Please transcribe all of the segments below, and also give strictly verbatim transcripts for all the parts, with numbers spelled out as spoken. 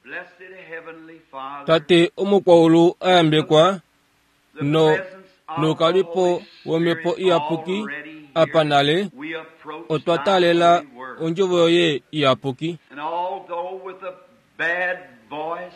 Blessed Heavenly Father, Tate omukwaulu a yambekwa the no presence of the noukalipo Holy womhepo Spirit iyapuki already here, apa nale we approach otwa thy taalela holy word. ondjovo yoye iyapuki. And although with a bad voice,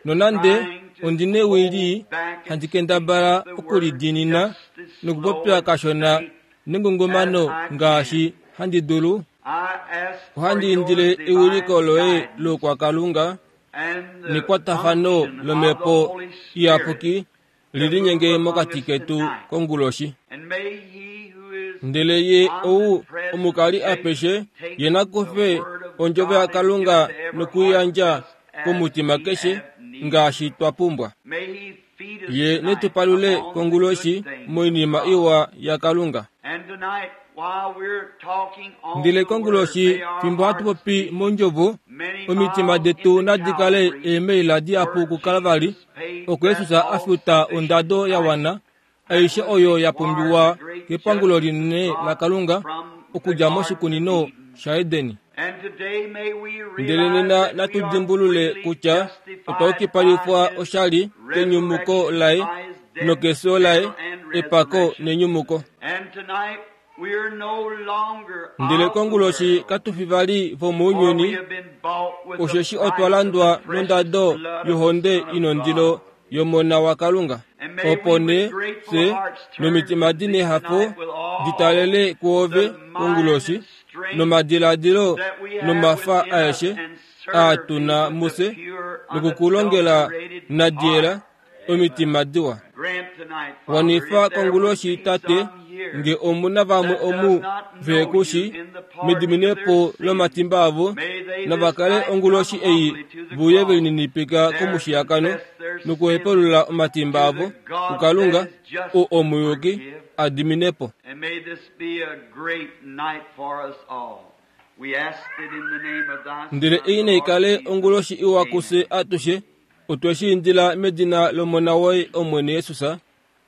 Nonande trying to ondi newili hold back and handi kendabala speak the word okulidiinina just as nokupopya slow and kashona straight nengungumano as I can, ngaashi handi dulu, I ask for ohandi your indile divine ewiliko loye guidance loukwakalunga and the nekwatafano unction of the lomhepo Holy Spirit iyapuki to li move linyenge among mokati us ketu tonight. konguloshi. And may he who is Ndele ye ou omnipresent omukali take, apeshe take ye na the kufe word of ondjovo God and give yaKalunga it to every heart nokuyandja just as komutima we keshe have need. ngaashi twa pumbwa. May he feed us Ye tonight netupalule upon the konguloshi good things of moinima God. iwa yaKalunga. And tonight, while we're talking on Ndele the word, konguloshi may our fimbo hatu hearts popi be mondjovo many omitima miles detu into nadi kale Calvary, eemaila dihapu where kuKalvari Jesus paid oko that Jesus a futa ondado ya all-sufficient price wana that aishe was oyo ya required pumbiwa the great kepangulo judgment of linene God la Kalunga from the okudja Garden of moshikunino Eden. shaEdeni. And today may we Ndele realize nena that we are natudimbulule freely kutya otwa justified by yukipalifwa his oshali kenyumuko resurrection, laye by his death, nokefyo laye burial, and epako resurrection. nenyumuko. And tonight we are no longer Ndele of the konguloshi world, katufi vali for we vomounyuni have been bought with the osheshi otwa price of the landwa precious nondado blood of the yohonde Son of inondilo God. yomona waKalunga. And may Opo we nee with grateful fye hearts turn nomitima to di thee nehafo tonight with all ditalele kuove the mind konguloshi and strength nomadiladilo that we have nomafa within us aeshe and aa serve thee tuna with a mufye pure, nokukulongela unadulterated nadiela heart. omitima diwa. Grant tonight, Father, Wanifa if there would konguloshi be tate some here nge omuna vamwe that does omu not know you vekushi in the pardon of their mediminepo sins, lomatimba avo may they this navakale night come onguloshi ei humbly to the vuye cross, velininipika there komushiyakano confess their sins nokuhepulula omatimba to avo the God that kuKalunga is just ou to omuyuki forgive. adiminepo. And may this be a great night for us all. We ask it in the name of thy Ndele Son, ei the Lord naikale Jesus. onguloshi iwa kufye Amen. atushe otwe shi indila medina lomona woye Omwene Jesus.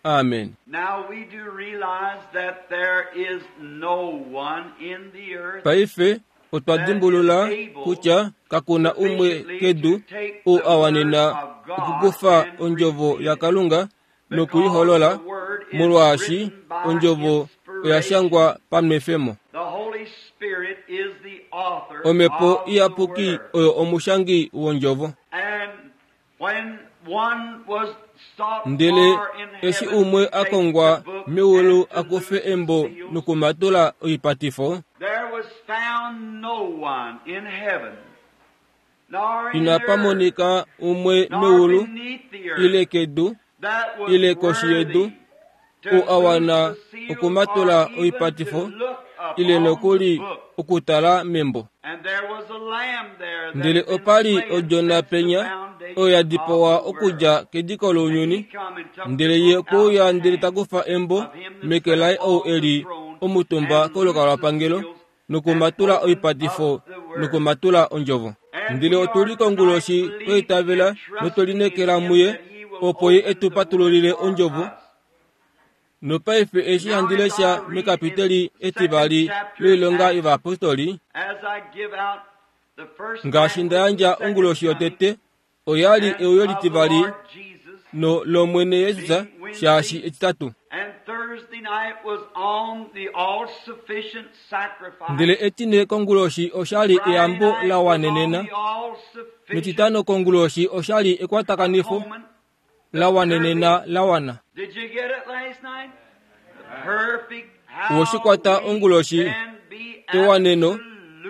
Amen. Now we do realize that there is no one in the earth Paife otwa that is dimbulula able kutya kakuna umwe sufficiently kedu to take ou the a word wanena of God okukufa and ondjovo repeat it. yaKalunga Because nokuiholola the word is molwaashi written by ondjovo oya inspiration. shangwa pamwefemo. The Holy Spirit is the author Omhepo of the iyapuki word. oyo omushangi wondjovo. And when one was sought Ndele for in eshi heaven umwe to a take the kongwa book meulu and a to kufe loose the embo seals, nokumatula oipatifo, there was found no one in heaven, nor in inapa the earth, monika umwe nor meulu beneath the ile earth kedu that was ile koshi yedu worthy to ou a loose wana the seals okumatula or even to oipatifo look ile upon the nokuli book. okutala membo. And there was a lamb there that Ndele had been opa li slain odjona since the penya oyo foundation ya of dipawa the world. okudja kediko And he lounyuni, come and took the ndele ye book out of okwe uya the ndele hand ta kufa embo of him that meke sat laye ou upon e the li throne omutumba and loosed the kolukalwapangelo seals and nokumatula opened up oipatifo the word. nokumatula ondjovo. And Ndele we otu are li tonight konguloshi twa believing itavela and notwe trusting in lineekela him muye that he will opo ye open etu the word patululile for ondjovo. us. Nopaife eshi Now handi as I lesha read in mekapiteli the second etivali chapter of loilonga Acts, yovayapostoli as I give out the first ngaashi night nda was the yandja second onguloshi coming yotete oyali and euyo of the litivali Lord Jesus, no lomwene Jesus being shaashi Wednesday, etitatu. and Thursday night was on the all-sufficient Ndele sacrifice. etine konguloshi oshali Friday eyambo night la was on wanenena the all-sufficient netitano konguloshi oshali ekwatakanifo atonement, la the wanenena perfect. la wana. Did you get it last night? The perfect how Woshikwata we onguloshi can be ewaneno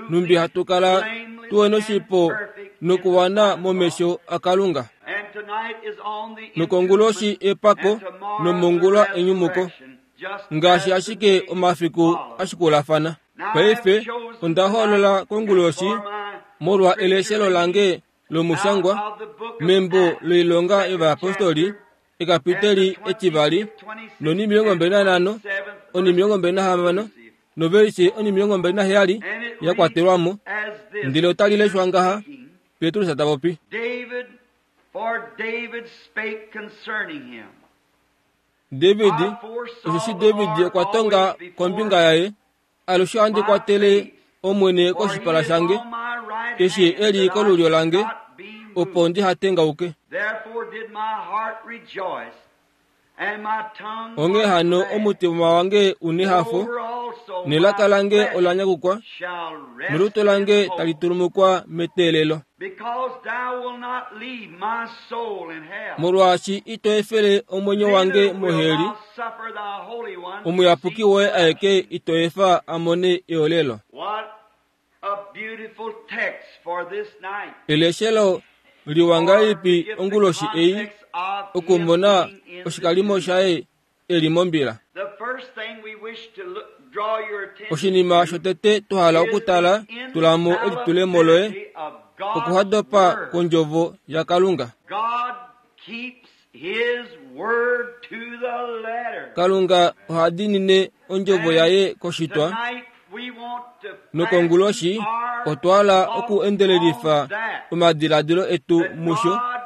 numbi absolutely hatu kala blameless tuwene and oshipo perfect in the nokuwana sight of God. momesho aKalunga. And tonight is on the Nokongoloshi entombment, epako and tomorrow the nomongula enyumuko resurrection, just ngaashi as the ashike days omafiku follow. ashikulafana. Now I have Paife chosen onda tonight hoolola konguloshi for my molwa scripture eleshelo reading lange lomushangwa out of the book of membo Acts, loilonga second yovayapostoli chapter, and the ekapiteli etivali twentieth, twenty-sixth, nonimilongo and mbali nanhano twenty-seventh onimilongo verses mbali nahamano inclusive. novelise onimilongo mbali naheyali And it ya reads kwatelwamo. as this, Ndele otali Peter leshwa ngaha speaking, Petrus ta popi. David, for David spake concerning him. David I foresaw osheshi the David Lord okwa tonga always before kombinga yaye alushe ohandi my kwatele face, Omwene for he koshipala is shange on my right eshi hand, e li that I kolulyo should lange not be opo ndihatengauke. Therefore did my heart rejoice, and my tongue Onghee was hano glad. omutima wange unehafo, Moreover also nelaka my lange flesh ola nyakukwa, shall rest nolutu lange in hope. tali tulumukwa meteelelo. Because thou wilt not leave my soul in hell. Molwaashi ito efele omwenyo wange Neither wilt moheli, thou suffer thy Holy One to omuyapuki see woye corruption. aeke ito efa a mone eolelo. What a beautiful text for this night. Eleshelo liwa ngahelipi Or give the onguloshi ei context of him okumona being in the oshikalimo tomb. shaye eli mombila. The first thing we wish to look, draw your attention Oshinima to shotete twahala is okutala the tulamo elitulemo loye infallibility of God's okuhadopa word. kondjovo yaKalunga. God keeps His word to the letter. Kalunga oha diinine ondjovo yaye koshitwa, Tonight we want to nokonguloshi fasten our otwa hala thoughts okuendelelifa on that, omadiladilo etu that musho God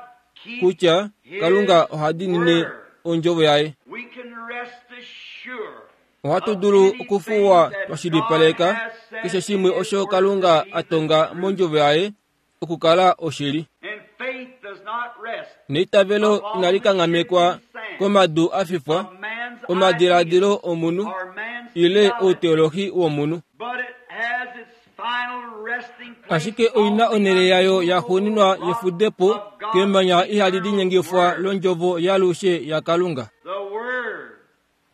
keeps kutya His Kalunga oha diinine word. ondjovo yaye. We can rest assured Ohatu of dulu anything okufuwa that twa shilipaleka God has said keshe shimwe in His osho word Kalunga to be a the tonga truth. mondjovo yaye okukala oshili. And faith does not rest Neitavelo upon inali the kanghamekwa shifting sand komadu a fifwa, of man's omadiladilo ideas omunhu or man's ile theology, outeolohi womunhu. but it has its final resting place Ashike oina on the onhele yayo ya unmovable xuuninwa rock yefudepo of God's kemanya ihali eternal linyengifwa word. londjovo yalushe yaKalunga. The word.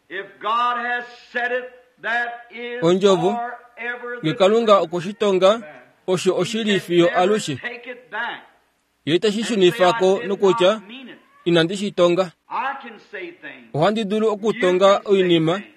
If God has said it, that is Ondjovo, forever Nge the Kalunga truth. okwe shi tonga, osho He oshili can fiyo never alushe. take it back Ye iteshi and say, shunifa I ko did nokutya not mean it. inandi shi tonga. I can say things. Ohandi dulu You okutonga can say oinima, things.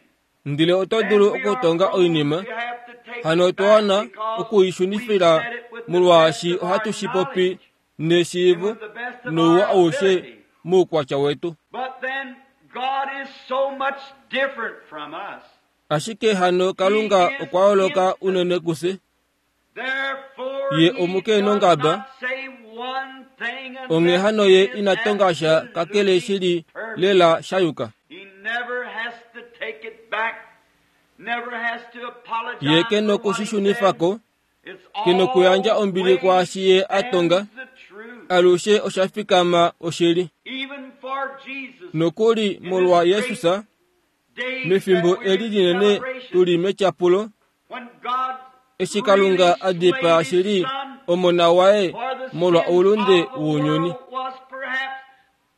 ndele oto Then dulu we are okutonga prone oinima, to have to take hano it otwa back wana because we okuishunifila said it with the best molwaashi of our ohatu shi popi knowledge and neshiivo with the best of nouwa our aushe ability. moukwatya wetu. But then God is so much different from us. Ashike hano He Kalunga is okwa yooloka instant. unene kufye, Therefore, ye he omuke does nongaba, not say one thing onghee unless hano it ye is ina tonga sha kakele absolutely shili perfect. lela shayuka. He never has to take it back, never has to Ye apologize ke for noku what shi he shunifa said. ko, It's ke nokuyandja ombili always kwaashi ye a tonga, stands the truth. alushe osha fikama oshili. Even for Jesus, Nokuli in this molwa great Jesus, day mefimbo that we're eli in linene celebration, tuli metyapulo, when God eshi really Kalunga a dipaa slayed his shili son omona waye for the molwa sins oulunde of the wounyuni. world was perhaps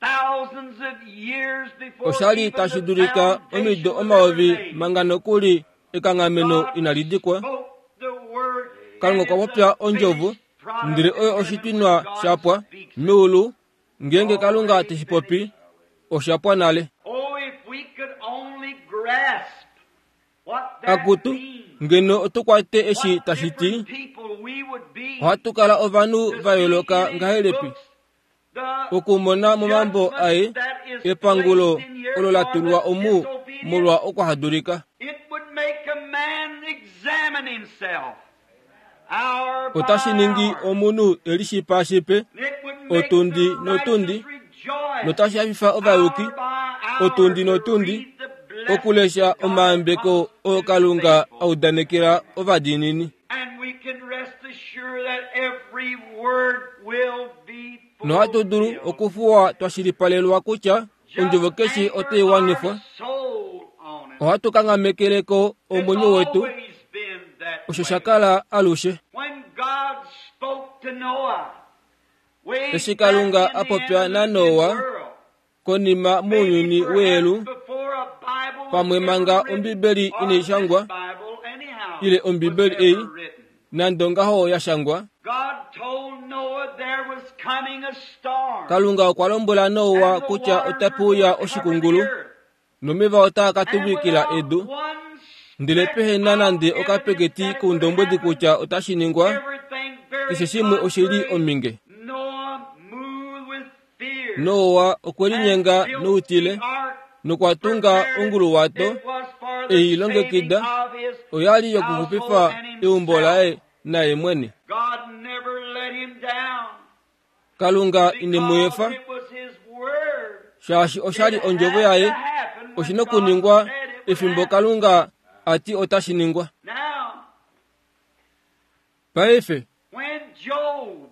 thousands of years before Oshali even tashi the dulika omido foundation was ever omayovi laid. manga nokuli ekanghameno God inali dikwa. spoke the word, and Kalunga okwa it's popya a ondjovo, finished product ndele in oyo heaven when oshitwinwa God shapwa speaks it. meulu, ngeenge Kalunga Already teshi popi, finished. osha pwa nale. Oh, if we could only grasp what that Akutu, means, ngeno otu kwate eshi what tashi ti, different people we would be ohatu kala ovanhu to va see yooloka in his ngahelipi books the okumona momambo judgment aye that is epangulo placed in here olo la for tulwa the omu disobedient. molwa okuhadulika. It would make a man examine himself hour by Otashi ningi hour. omunhu e lishipaashipe It would make otundi the notundi, righteous rejoice notashi hafifa ovayuki hour by hour otundi to notundi read the blessings okulesha God omayambeko promised oo to the Kalunga a faithful. udanekela ovadiinini. And we can rest assured that every word will be Nohatu dulu fulfilled. okufuwa twa shilipalelwa kutya ondjovo Just keshe anchor otai our wanifwa. soul on it. Ohatu kanghamekeleko It's omwenyo wetu, always been that osho way. sha kala alushe. When God spoke to Noah, way Eshi back Kalunga in a the popya antediluvian naNoa world, konima maybe mounyuni perhaps weelu, before a Bible was pamwe ever manga written, Ombibeli or inai this shangwa, Bible anyhow ile was Ombibeli ei ever written. nande ongaho ya shangwa, God told Noah there was coming a storm, Kalunga okwa lombwela Noa and the kutya waters otape were uya going to cover the oshikungulu earth. nomeva otaa ka And tuvikila without edu, one ndele speck pehe na of nande evidence okapeketi that it would koundombwedi happen, kutya otashi ningwa, everything very keshe shimwe oshili contrary, ominge. Noah moved with fear Noa okwe and linyenga built noutile the ark, nokwa tunga prepared it. onguluwato It was for the ei saving longekida of his oyali household yokuxupifa and eumbo himself. laye naye mwene. God never let him down Kalunga ine mu because efa, it was his word. shaashi oshali It ondjovo had to yaye, happen when oshina God okuningwa said it would efimbo happen. Kalunga ati otashi ningwa. Now, Paife, when Job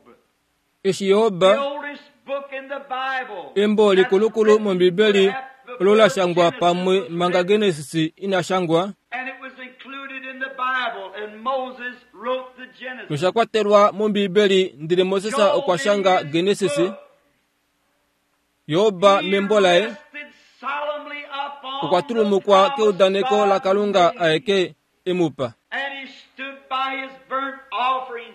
Eshi Yoba the oldest book in the Bible, embo likulukulu that's mOmbibeli written olo la before shangwa Genesis pamwe was manga written, Genesis ina shangwa and it was included in the Bible, and Moses wrote the Genesis. nosha kwatelwa mOmbibeli ndele Moses Job okwa in shanga his Genesis. book, Yoba he membo laye rested solemnly upon okwa the tulumukwa promise keudaneko God la Kalunga made. aeke emupa. And he stood by his burnt offering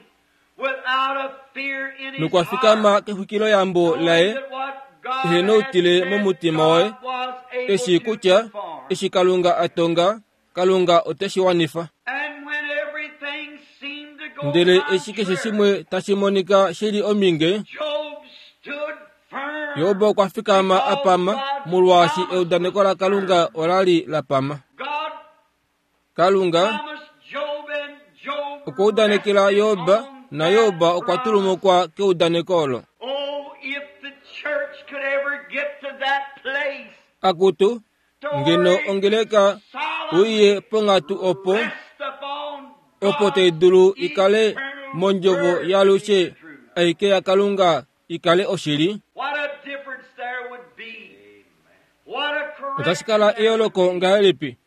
without a fear in his Nokwa fikama heart, kexwikiloyambo knowing laye that what God ehena had outile said, momutima waye, God was able eshi to kutya perform. eshi Kalunga a tonga Kalunga oteshi wanifa. And when everything seemed to go Ndele eshi keshe contrary, shimwe tashi monika shili ominge, Job stood firm Yoba okwa fikama a because pama God's molwaashi promise eudaneko was la Kalunga firm. ola li la pama. God Kalunga promised Job and Job okwa udanekela rested Yoba on na that Yoba okwa promise. tulumukwa keudaneko olo. Oh, if the church could ever get to that place Akutu to ngeno where it ongeleka uiye solemnly ponghatu opo rest upon opo tai God's dulu ikale eternal mondjovo word to be yaalushe the truth. aike yaKalunga ikale oshili. What a difference there would be. What a Otashi correction kala there would eyooloko be. ngahelipi?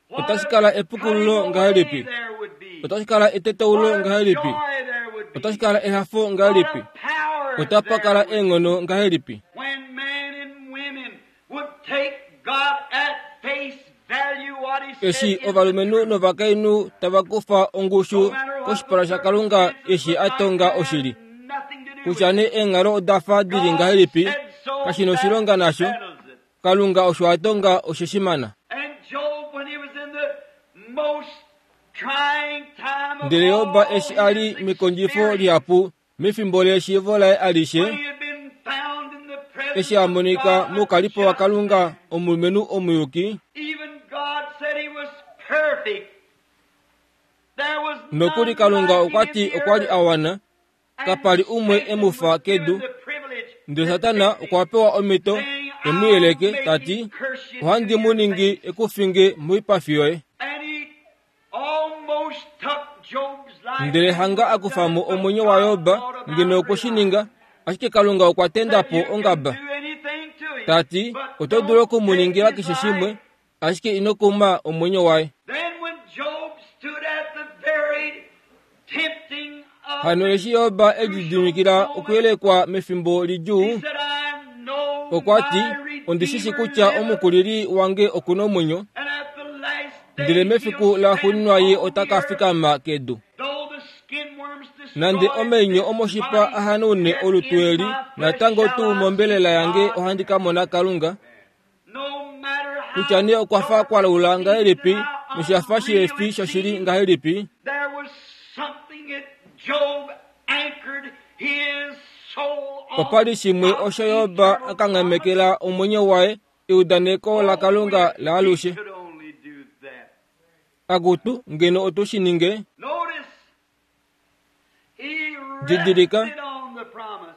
What Otashi a kala cutting epukululo away ngahelipi? there would be. Otashi kala etetaulo What a ngahelipi? joy there would be. Otashi kala ehafo What ngahelipi? a power Otapa there kala would be. eenghono ngahelipi? When men and women would take God at face value what he said Eshi is the ovalumenhu truth. novakainhu tava kufa ongushu No matter what the koshipala shaKalunga circumstances eshi look a like, tonga that has oshili. nothing to do Kutya with nee it. eenghalo oda fa dili God ngahelipi, said so, kashi na that oshilonga nasho. settles it. Kalunga osho a tonga osheshimana. And Job, when he was in the most trying time of Ndele Yoba all eshi a li his mekondjifo experience, lihapu mefimbo leshiivo laye alishe, when he had been found in the presence eshi a of monika God, a moukalipo wa just Kalunga man, omulumenhu omuyuki, even God said he was perfect. There was nokuli none Kalunga like okwa him in ti the okwa li earth. a wana, And kapali umwe e Satan mu fa was given kedu. the privilege Ndele to Satana tempt him, okwa pewa omhito saying, e mu I'll yeleke make ta him ti, curse you to ohandi mu your ningi face. ekufinge moipafi yoye. And he almost took Job's life Ndele and hanga would a have kufa done mo it, but omwenyo waYoba God brought ngeno about okwe shi relief. ninga, ashike Kalunga okwa tenda Said po you can ongaba. do anything to him, Ta ti, but oto dulu don't oku mu take ningila his keshe life. shimwe, ashike ino kuma omwenyo waye. Then when Job stood at the very tempting of Hano the eshi Yoba e crucial lididimikila moment, okuyelekwa mefimbo he lidjuu, said, I know okwa ti, my ondishi shi Redeemer kutya liveth, omukulili wange okuna omwenyo, and at the last ndele day mefiku he'll la stand xuuninwa ye on ota the ka earth. fikama kedu. Though the skin worms Nande destroy omeinyo this omoshipa body, a hanaune yet olutu in eli, my flesh natango shall tuu I see mombelela yange God. ohandi ka mona Kalunga. No matter Kutya how nee okwa fa dark kwa it laula seems and ngahelipi, how noshafa unreal shihefi it shoshili seems, ngahelipi, there was something that Job anchored his soul opa li on shimwe God's osho Yoba eternal a promise. kanghamekela omwenyo waye eudaneko Oh, laKalunga if laalushe. we could only do that. Akutu ngeno otu shi ninge, Notice, he didilika, rested on the promise.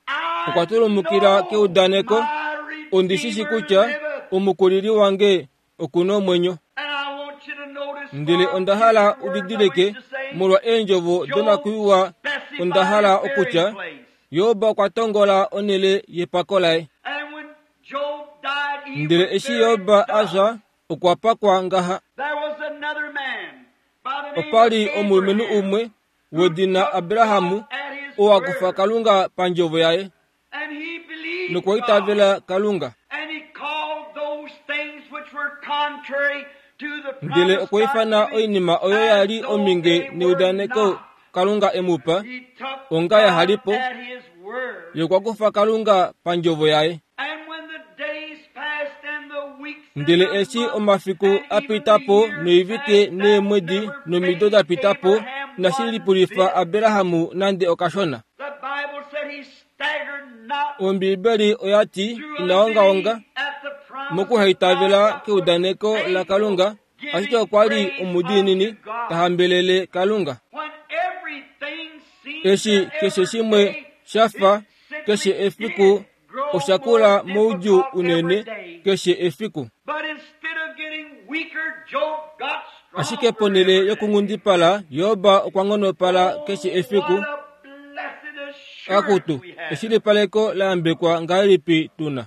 I okwa tulumukila know keudaneko, my ondishi shi Redeemer kutya liveth. omukulili wange okuna omwenyo. And I want you to notice Ndele for onda hala future words I udidilike wish to say, molwa eendjovo Job donakuiwa onda specified hala his okutya burying place. Yoba okwa tongola onhele yepako laye. And when Job died, he Ndele was eshi buried Yoba a thus. fya okwa pakwa ngaha. There was another man by the name Opa of li omulumenhu Abraham umwe who wedina took Abrahamu God at his oo a kufa word. Kalunga pandjovo yaye And he believed nokwa God. itavela Kalunga. And he called those things which were contrary to the Ndele promise okwa God ifana gave him oinima oyo ya as li though ominge they were neudaneko not. Kalunga e mu pa, He took onga ya God halipo, at his word. ye okwa kufa Kalunga pandjovo yaye. And when the days passed and the weeks and Ndele the eshi months omafiku and a even the pita po years noivike passed, that neemwedi never nomido da fazed pita po, Abraham inashi one lipulifa bit. Abrahamu nande okashona. The Bible said he staggered not Ombiibeli oya ti through ina unbelief ongaonga at the promise of mokuhaitavela God, but was keudaneko faithful, laKalunga, ashike giving okwa li praise omudiinini unto ta God. hambelele Kalunga. When everything seemed Eshi to keshe every shimwe day, sha fa it keshe simply efiku did grow osha more kula moudjuu difficult every unene day. keshe efiku. But instead of getting weaker, Job got Ashike stronger ponhele every day. yokunghundipala, Yoba okwa nghonopala Oh, keshe efiku. what a blessed Akutu, eshilipaleko la yambekwa ngahelipi tuna.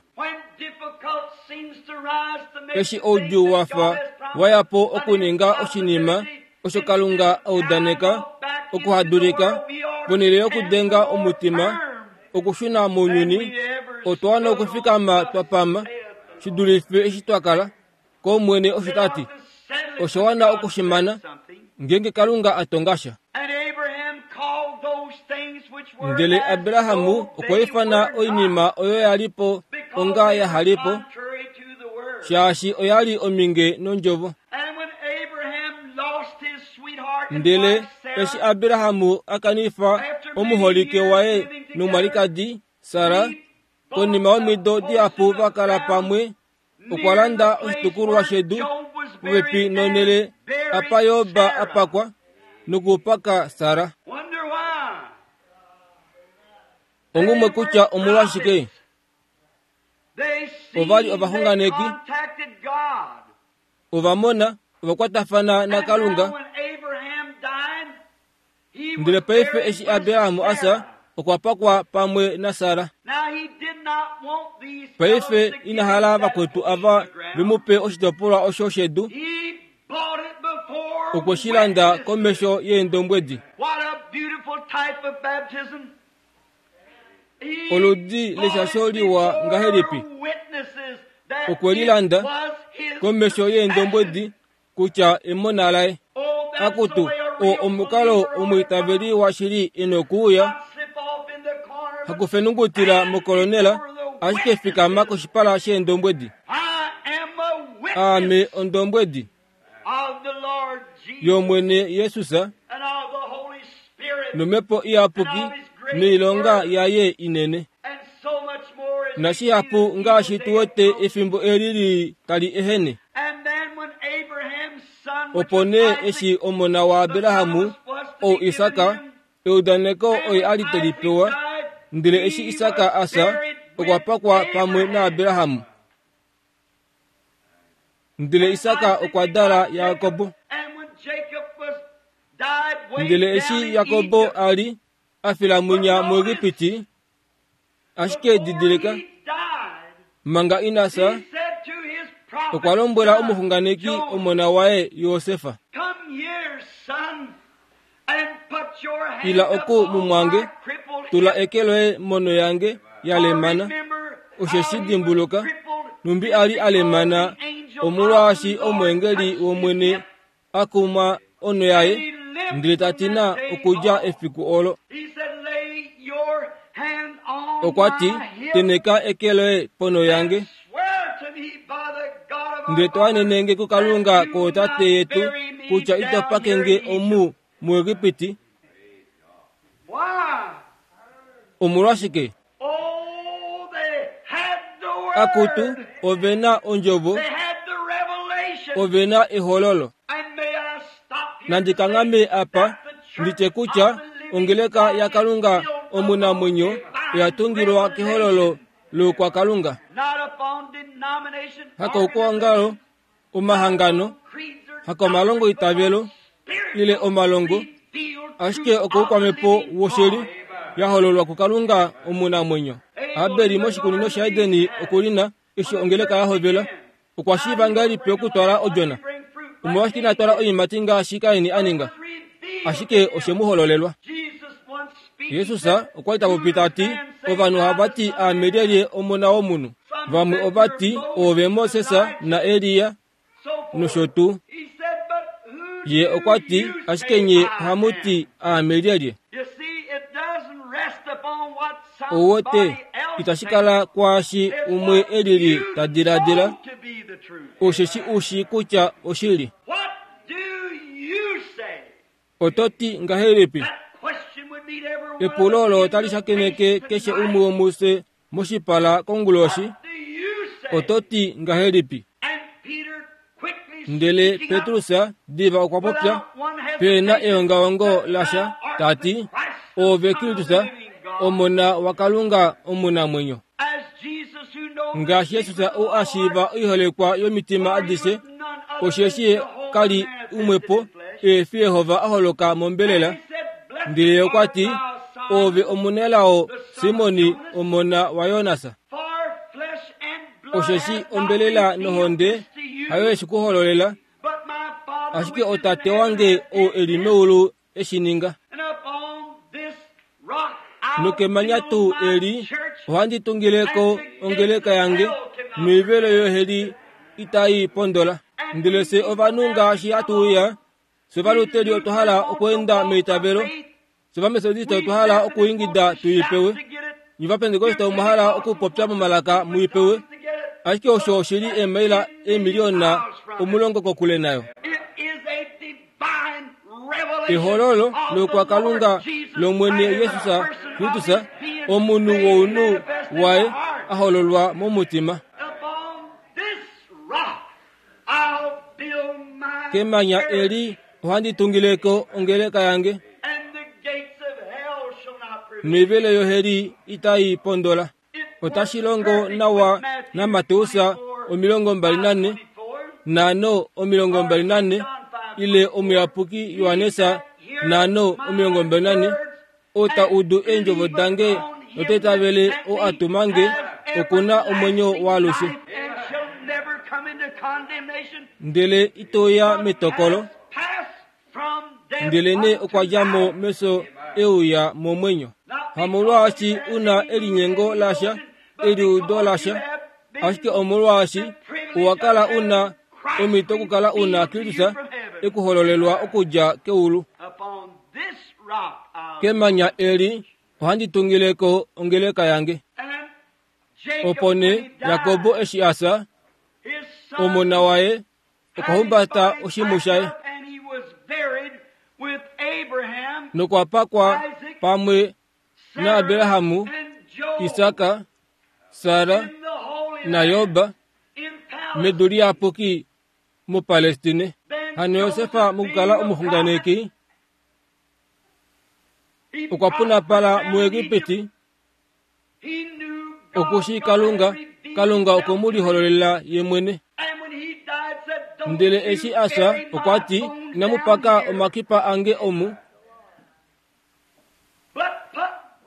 Eshi oudjuu wafa wayapo okuninga oshinima osho Kalunga audaneka okuhadulika, ponhele yokudenga omutima okushuna mounyuni, otwa wana okufikama twapama shidulife eshi twakala. Komwene osho tati, osho wana okushimana ngeenge Kalunga atonga sha. Ndele Abrahamu okwa ifana oinima oyo yalipo onga yahalipo, shaashi oyali ominge nondjovo. Ndele eshi Abrahamu akanifa omuholike waye nomwalikadi Sara, konima yomido dihapu vakala pamwe, okwa landa oshitukulwa shedu popepi nonhele apa Yoba apakwa nokupaka Sara. Ongumwe kutya omolwashike ovali ovaxunganeki, ovamona ovakwatafana naKalunga. Ndele paife eshi Abraham asa, okwa pakwa pamwe naSara. Paife ina hala vakwetu ava vemupe oshitopolwa osho shedu, okwe shi landa komesho yeendombwedi. Oludi leshasho liwa ngahelipi, okwe lilanda komesho yeendombwedi kutya emona laye. Akutu, o omukalo omwiitaveli washili inokuuya, hakufenungutila mokolonela, ashike fikama koshipala sheendombwedi. Aame ondombwedi yOmwene Jesus nomhepo iyapuki noilonga yaye inene. Nashihapu ngaashi tuwete efimbo eli li tali ehene. Opo nee eshi omona waAbrahamu ou Isaka, eudaneko oye ali teli pewa, ndele eshi Isaka asa, okwa pakwa pamwe naAbrahamu. Ndele Isaka okwa dala Jakobo. Ndele eshi Jakobo ali afila mwinya muEgipiti, ashike didilika, manga ina sa, okwa lombwela omuxunganeki omona waye Josefa, ila oku mumwange, tula eke loye mono yange ya lemana, osheshi dimbuluka, numbi ali alemana omolwaashi omwengeli wOmwene akuma ono yaye, ndele ta tina okudja efiku olo. Okwa ti, teneka eke loye pono yange, ndele to anenenge kuKalunga kootate yetu kutya ito pakenge omu muEgipiti. Omolwashike? Akutu, ove na ondjovo, ove na ehololo. Nandi kangame apa nditye kutya ongeleka yaKalunga omunamwenyo oya tungilwa kehololo loukwakalunga, hakoukwangalo, omahangano, hakomalongo itavelo ile omalongo, ashike okoukwamhepo woshili yahololwa kuKalunga omunamwenyo. Abeli moshikunino shaEdeni okulina eshi ongeleka yahovela, okwa shiiva ngahelipi okutwala odjona? Omolwashike ina twala oiimati ngaashi Kaini aninga? Ashike oshe mu hololelwa. Jesus okwa li ta popi ta ti, ovanhu ohava ti aame lyelye omona womunhu? Vamwe ova ti oove Moses naElia nosho tuu. Ye okwa ti, ashike nye ohamu ti aame lyelye? Ouwete, itashi kala kwaashi umwe elili ta diladila, osheshi ushi kutya oshili. Oto ti ngahelipi? Epulo olo otali shakeneke keshe umwe womufye moshipala konguloshi. Oto ti ngahelipi? Ndele Petrus diva okwa popya pena eongaongo lasha ta ti, oove Kristus, omona waKalunga omunamwenyo. Ngaashi Jesus ou a shiiva oiholekwa yomitima adishe, osheshi kali umwepo eefi Yehova a holoka mombelela. Ndele okwa ti, Ove omunelao Simoni omona waYonasa. Osheshi ombelela nohonde hayo eshi kuhololela, ashike otate wange ou eli meulu eshi ninga. Nokemanya tuu eli ohandi tungileko ongeleka yange, noivelo yoheli itai pondola. Ndele se ovanhu ngaashi hatu uya, se ovaluteli otwa hala okweenda meitavelo, se ovametodista otwa hala okuingida tuipewe, nye ovapentekoste omwa hala okupopya momalaka muipewe, ashike osho oshili eemaila eemiliona omulongo kokule nayo. Ehololo lokwakalunga lomwene Jesus Kristus, omunhu wounhu waye a hololwa momutima. Kemanya eli ohandi tungileko ongeleka yange, noivelo yoheli itai pondola. Otashi longo nawa naMateus omilongo mbali nane nano omilongo mbali nane ile omuyapuki Johannes nano omilongo mbali nane ota udu eendjovo dange note tavele o atumange okuna omwenyo waalushe. Ndele itoya metokolo, ndele ne okwa dja mo meso euya momwenyo. Hamolwaashi una elinyengo lasha, eliudo lasha, ashike omolwaashi owa kala una omhito okukala una Kristus ekuhololelwa okudja keulu. Kemanya eli ohandi tungileko ongeleka yange. Opo nee Jakobo eshi asa, omona waye okwa humbata oshimhu shaye nokwa pakwa pamwe naAbrahamu, Isaka, Sara naJob medu liyapuki muPalestine. Hano Josefa mokukala omuxunganeki okwa punapala muEgipiti, okushi Kalunga, Kalunga okwe mu lihololela ye mwene. Ndele eshi asa okwa ti, inamu paka omakipa ange omu,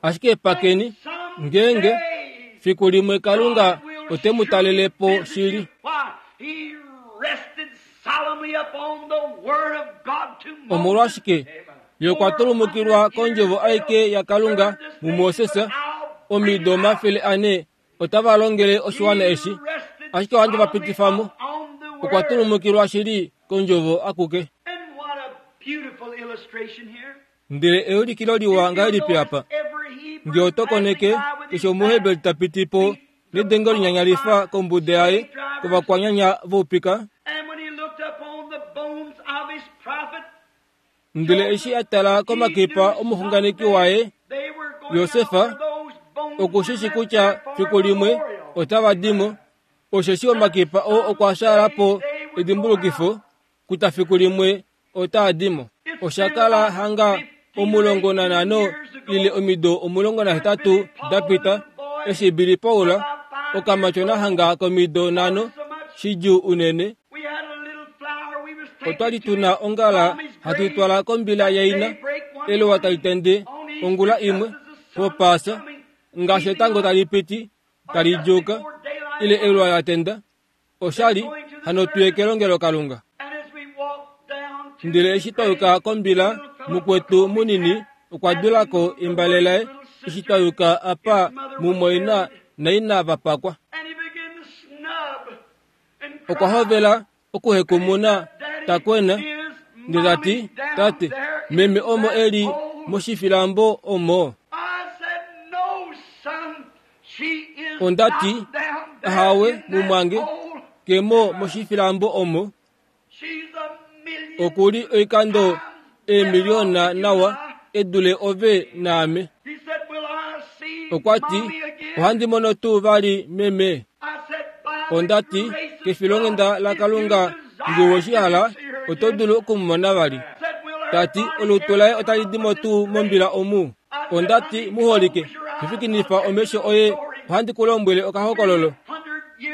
ashike pakeni ngeenge fiku limwe Kalunga ote mu talele po shili. Omolwashike ye okwa tulumukilwa kondjovo aike yaKalunga muMoses omido omafele ane otava longele oshiwana eshi, ashike ohandi va pitifa mo. Okwa tulumukilwa shili kondjovo akuke. Ndele eulikilo liwa ngahelipi apa? Nge oto koneke keshe omuheberi ta piti po nedengo linyanyalifa kombuda yaye kovakwanyanya voupika. Ndele eshi a tala komakipa omuxunganeki waye Josefa, okushishi kutya fiku limwe otava dimo, osheshi omakipa oo okwa shaala po edimbulukifo kutya fiku limwe otaa dimo. Osha kala hanga omulongo nanhano ile omido omulongo nahetatu da pita eshi Billy Paul okamatyona hanga komido nhano shidjuu unene. Otwali tuna ongala hatu twala kombila yaina eluwa tali tende ongula imwe popaasa ngaashi etango tali piti tali djuuka ile eluwa la tenda oshali hano tuye kelongelo Kalunga. Ndele eshi twayuka kombila mukwetu munini okwa dulako embale laye eshi twayuka apa mumwaina naina vapakwa. Okwa hovela okuhekumuna takwena ndele tati, tate, meme omo eli moshifilambo omo. Ondati, ahawe mumwange, kemo moshifilambo omo. Okuli oikando eemiliona nawa edule ove naame. Okwa ti, ohandi mono tuu vali meme. Ondati, kefilonghenda laKalunga nge woshihala oto dulu okumumona vali. Tati, olutu laye otali dimo tuu mombila omu. Ondati, muholike, fifikinifa omesho oye, ohandi ku lombwele okahokololo.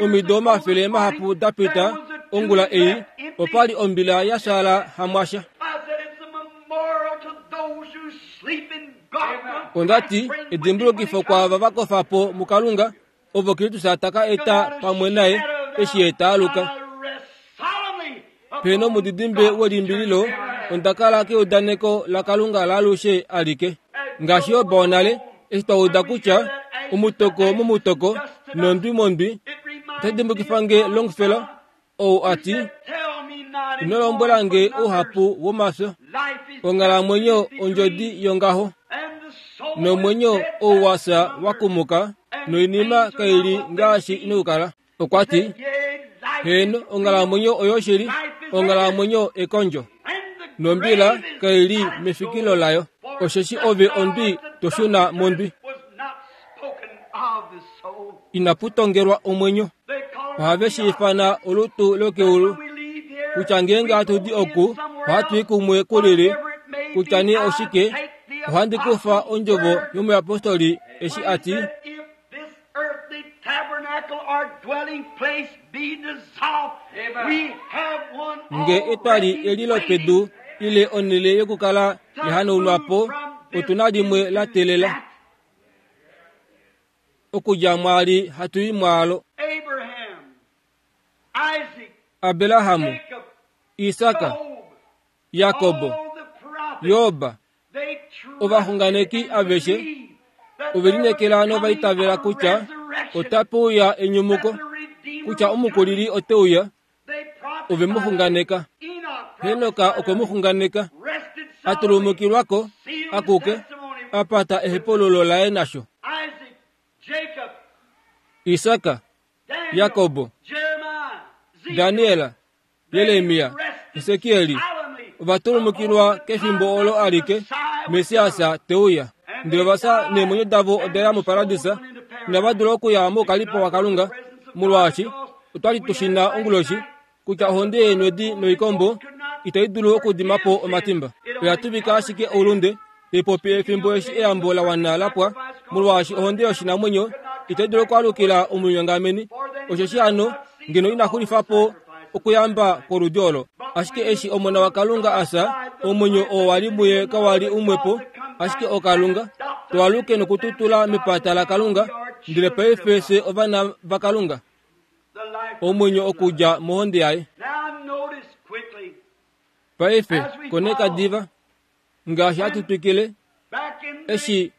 Omido omafele mahapu da pita ongula ei, opali ombila ya shaala hamwasha. Ondati edimbulukifo kwaava va kofa po muKalunga ovo Kristus taka eta pamwe naye eshi ye taaluka. Peno omudidimbe welimbililo onda kala keudaneko laKalunga laalushe alike. Ngaashi Job wonale eshi twa uda kutya omutoko momutoko nondwi mondwi, otashi dimbukifa nge Longfellow ou a ti ino lombwela nge ouhapu womafyo. Onghalamwenyo ondjodi yongaho nomwenyo ou wa fya wa kumuka noinima kaili ngaashi inokukala. Okwa ti heeno, onghalamwenyo oyoshili, onghalamwenyo ekondjo nombila kaili mefikilo layo, osheshi ove ondwi to shuna mondwi. Inapu tongelwa omwenyo. Ohave shi ifana olutu lokeulu kutya ngeenge hatu di oku ohatu i kumwe kulili, kutya nee oshike, ohandi kufa ondjovo yomuyapostoli eshi a ti nge etwali eli lopedu ile onhele yokukala yahanaunwa po, otuna limwe la teelela okudja mwaali hatu i mwaalo. Abrahamu, Isaka, Jakobo, Job, ovaxunganeki aveshe ovelinekela novaitavela kutya otape uya enyumuko, kutya omukulili ote uya, ove mu xunganeka. Henoka okwe mu xunganeka, a tulumukilwako akuke, a pata ehepululo laye nasho. Isaka, Jakobo, Daniel, Jeremia, Esekieli ovatulumukilwa kefimbo olo alike Mesiasa te uya. Ndele ovafya neemwenyo davo oda ya muparadisa, inava dula okuya moukalipo waKalunga, molwaashi otwali tushina onguloshi kutya ohonde yeenwedi noikombo itai dulu okudima po omatimba. Oya tuvika ashike oulunde, taipopi efimbo eshi eyambo la wana la pwa, molwaashi ohonde yoshinamwenyo itai dulu okwaalukila omunyongameni, osheshi hano ngeno ina xulifa po okuyamba kwoludi olo. Ashike eshi omona waKalunga asa, omwenyo oo wali muye kawali umwepo, ashike oKalunga. Twaluke nokututula mepata laKalunga, ndele paife fye ovana vaKalunga, omwenyo okudja mohonde yaye. Paife koneka diva ngaashi hatu twikile eshi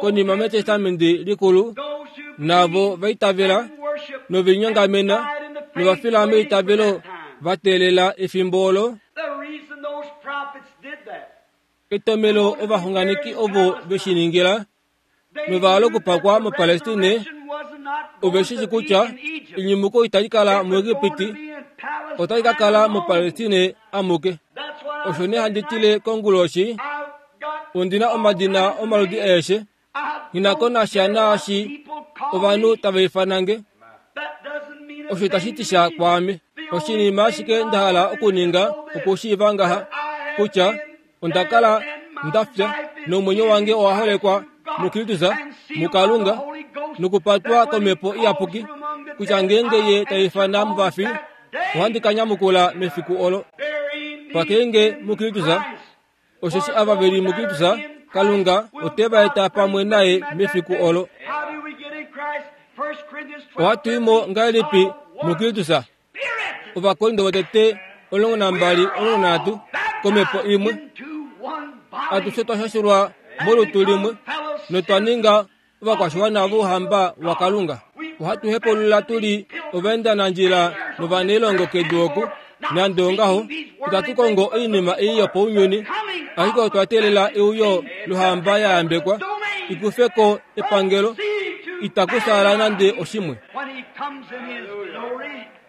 konima mEtestamenti likulu navo vaitavela novinyongamena novafila meitavelo va teelela efimbo olo. Etomelo ovaxunganeki ovo veshi ningila novahala okupakwa moPalestine ove shi shi kutya enyumuko itali kala muEgipiti, otali ka kala moPalestine amuke. Osho nee handi tile konguloshi, ondina omadina omaludi aeshe, nghi ko nasha naashi ovanhu tava ifana nge, osho itashi ti sha kwaame. Oshinima ashike nda hala okuninga okushiiva ngaha kutya onda kala nda fya nomwenyo wange owa holekwa muKristus muKalunga nokupatwa komhepo iyapuki, kutya ngeenge ye ta ifana muvafi ohandi ka nyamukula mefiku olo. Pakenge muKristus, osheshi ava veli muKristus, Kalunga ote va eta pamwe naye mefiku olo. Ohatu i mo ngahelipi muKristus? Ovakorinto votete omulongo nambali omulongo nanhatu komhepo imwe atushe twa shashulwa molutu limwe notwa ninga ovakwashiwana vouhamba waKalunga. Ohatu hepulula tuli ovaendanandjila novanailongo kedu oku, nande ongaho itatu kongo oinima ei yopaunyuni, ashike otwa teelela euyo lohamba ya yambekwa ikufe ko epangelo, itaku fyaala nande oshimwe.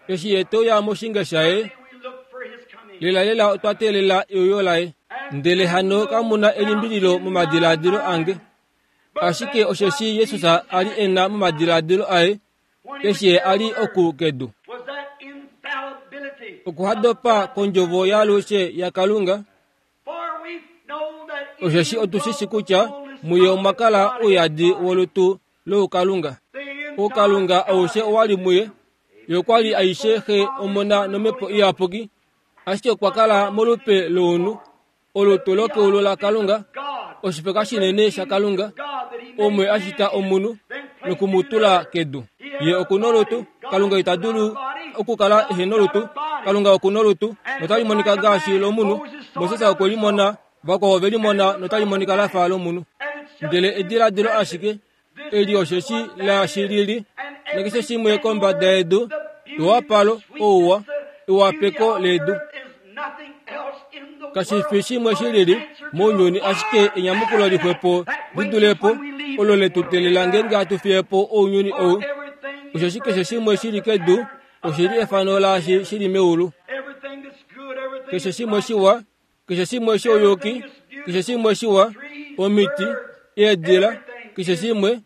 Eshi ye te uya moshinge shaye, lelalela otwa teelela euyo laye. Ndele hano kamuna elimbililo momadiladilo ange, ashike osheshi Jesus a li e na momadiladilo aye eshi ye a li oku kedu. Okuhadopa kondjovo yaalushe yaKalunga, osheshi otushishi kutya muye omwa kala ouyadi wolutu loukalunga. Oukalunga aushe owali muye, ye okwa li aishe Xe, Omona nomhepo iyapuki, ashike okwa kala molupe lounhu, olutu lokeulu laKalunga, Oshifeka shinene shaKalunga omwe a shita omunhu nokumutula kedu. Ye okuna olutu, Kalunga ita dulu okukala ehe nolutu. Kalunga okuna olutu notali monika ngaashi lomunhu. Moses okwe limona, vakwao ove limona notali monika lafa lomunhu. Ndele ediladilo ashike eli osheshi laashi lili nakeshe shimwe kombada yedu, ewapalo, ouwa, ewapeko ledu kashi fi shimwe shilili mounyuni, ashike enyamukulo lixwepo lidulepo olo letu teelela ngeenge hatu fiye po ounyuni ou. Osheshi keshe shimwe shili kedu oshili efano laashi shili meulu. Keshe shimwe shiwa, keshe shimwe shouyuki, keshe shimwe shiwa, omiti, eedila, keshe shimwe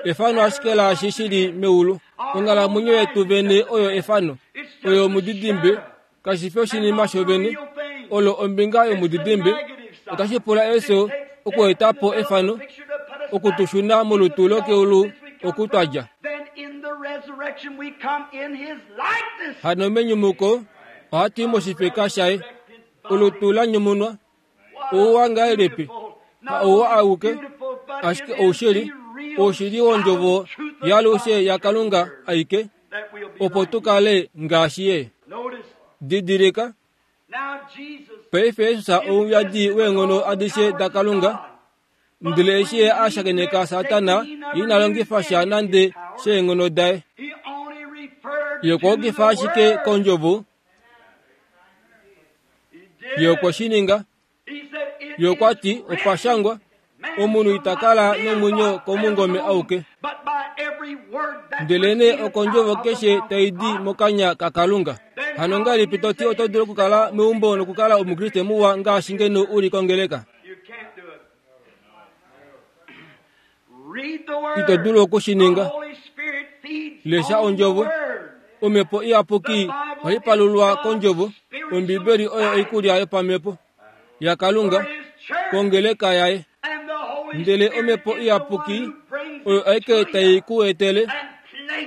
efano ashike laashi shili meulu. Onghalamwenyo yetu vene oyo efano, oyo omudidimbe, kashi fi oshinima shovene, olo ombinga yomudidimbe. Otashi pula efyo okueta po efano, okutushuna molutu lokeulu oku twadja. Hano menyumuko ohatu i moshifeka shaye, olutu la nyumunwa. Ouwa ngahelipi? Ha ouwa auke, ashike oushili, oushili wondjovo yaalushe yaKalunga aike, opo tu kale ngaashi ye. Didilika, paife Jesus ouyadi weenghono adishe daKalunga, ndele eshi ye a shakeneka Satana, ye ina longifa sha nande sheenghono daye. Ye okwa yukifa ashike kondjovo. Ye okwe shi ninga. Ye okwa ti, opa shangwa, omunhu ita kala nomwenyo komungome auke, ndelenee okondjovo keshe tai di mokanya kaKalunga. Hano ngahelipi to ti oto dulu okukala meumbo nokukala omukriste muwa ngaashi ngeno u li kongeleka? Ito dulu oku shi ninga. Lesha ondjovo. Omhepo iyapuki ohai palulwa kondjovo. Ombibeli oyo oikulya yopamhepo yaKalunga kongeleka yaye. Ndele omhepo iyapuki oyo aike tai ku etele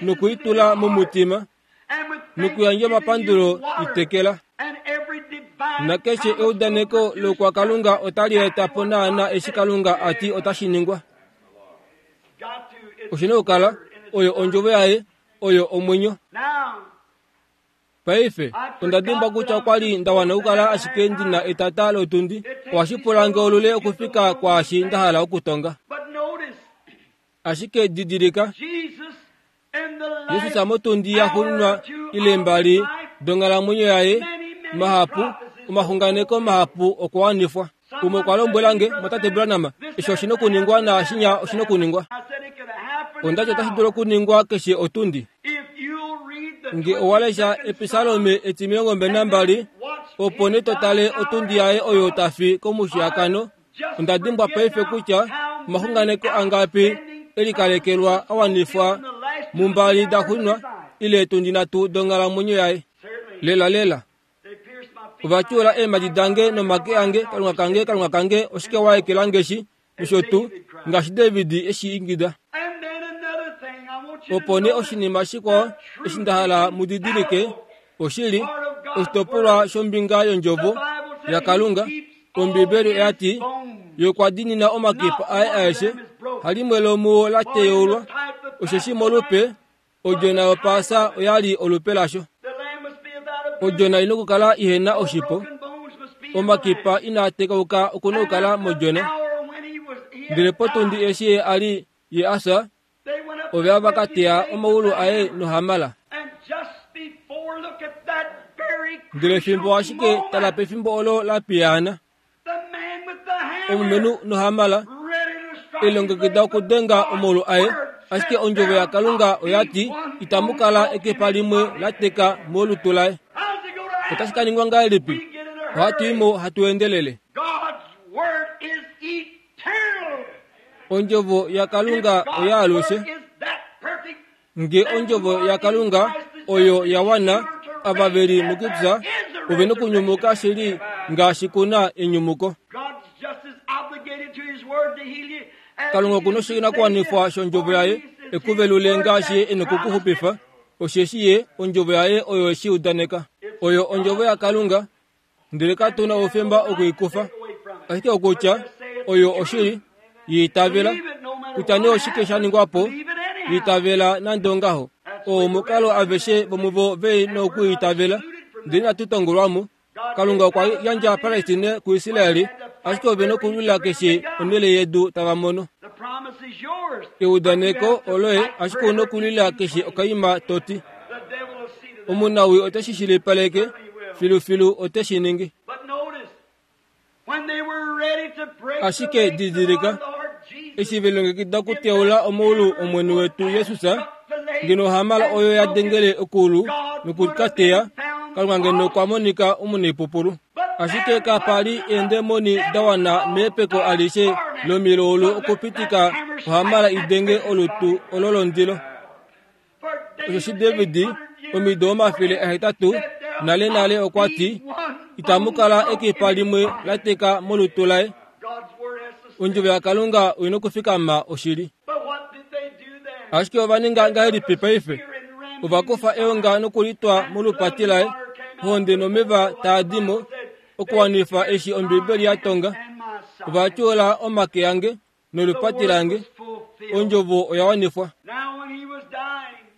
nokuitula momutima nokuyandja omapandulo itekela. Nakeshe eudaneko lokwaKalunga otali eta po naana eshi Kalunga a ti otashi ningwa. Oshina okukala oyo ondjovo yaye, oyo omwenyo. Paife, onda dimbwa kutya okwa li nda wana okukala ashike ndi na etata lotundi. Ohashi pula nge olule okufika kwaashi nda hala okutonga. Ashike didilika, Jesus motundi ya xuuninwa ile mbali donghalamwenyo yaye, mahapu, omaxunganeko mahapu okwa wanifwa. Umwe okwa lombwela nge, Mwatate Branham, eshi oshina okuningwa naashinya oshina okuningwa. Onda ti otashi dulu okuningwa keshe otundi. Nge owa lesha Episalome etimilongo mbali nambali, opo nee to tale otundi yaye oyo tafi komushiyakano. Onda dimbwa paife kutya omaxunganeko angapi elikalekelwa a wanifwa mumbali da xuuninwa ile etundi nhatu donghalamwenyo yaye. Lela lela. Ova tyuula eemhadi dange nomake ange, Kalunga kange, Kalunga kange, oshike wa ekela nge shi? Nosho tuu, ngaashi David eshi ingida. Opo nee oshinima shikwao eshi nda hala mu didilike, oshili oshitopolwa shombinga yondjovo yaKalunga. Ombibeli oya ti, ye okwa diinina omakipa aye aeshe, halimwe lomuo la teyaulwa, osheshi molupe odjona yopaasa oya li olupe lasho. Odjona ina okukala ihena oshipo, omakipa inaa tekauka okuna okukala modjona. Ndele potundi eshi ye a li ye a fya, ove ava ka teya omaulu aye nohamala. Ndele fimbo ashike tala pefimbo olo la piyaana, omulumenhu nohamala elongekida okudenga omaulu aye, ashike ondjovo yaKalunga oya ti itamu kala ekepa limwe la teka molutu laye. Otashi ka ningwa ngahelipi? Ohatu i mo hatu endelele. Ondjovo yaKalunga oya alushe. Nge ondjovo yaKalunga oyo ya wana, ava ve li mukupya ove nokunyumuka shili ngaashi kuna enyumuko. Kalunga okuna oshinakuwanifwa shondjovo yaye ekuvelule ngaashi ye e nokukuxupifa, osheshi ye ondjovo yaye oyo eshi udaneka. Oyo ondjovo yaKalunga, ndele katu na oufemba okuikufa. Ashike okutya Oyo oshili, yiitavela. Kutya nee oshike sha ningwa po, yiitavela nande ongaho. Oo omukalo aveshe vomuvo ve nokuitavela, ndele inatu tongolwamo. Kalunga okwa yandja Palestine kuIsraeli, ashike ove nokulwila keshe onhele yedu tava mono. Eudaneko oloye, ashike una okulwila keshe okaima toti. Omunawi ote shi shilipaleke, filufilu ote shi ningi. Ashike didilika, eshi velongekida okuteula omaulu Omwene wetu Jesus, ngeno ohamala oyo ya dengele okulu nokukateya, Kalunga ngeno okwa monika omunaipupulu. Ashike kapa li eendemoni da wana meepeko alishe lomilaulu okupitika ohamala idenge olutu olo londilo. Osheshi David omido omafele ahetatu nale nale okwa ti, itamu kala ekipa limwe la teka molutu laye. Ondjovo yaKalunga oina okufikama oshili. Ashike ova ninga ngahelipi paife? Ova kufa eonga nokulitwa molupati laye, ohonde nomeva taa di mo, okuwanifa eshi Ombibeli ya tonga. Ova tyuula omake ange nolupati lange. Ondjovo oya wanifwa.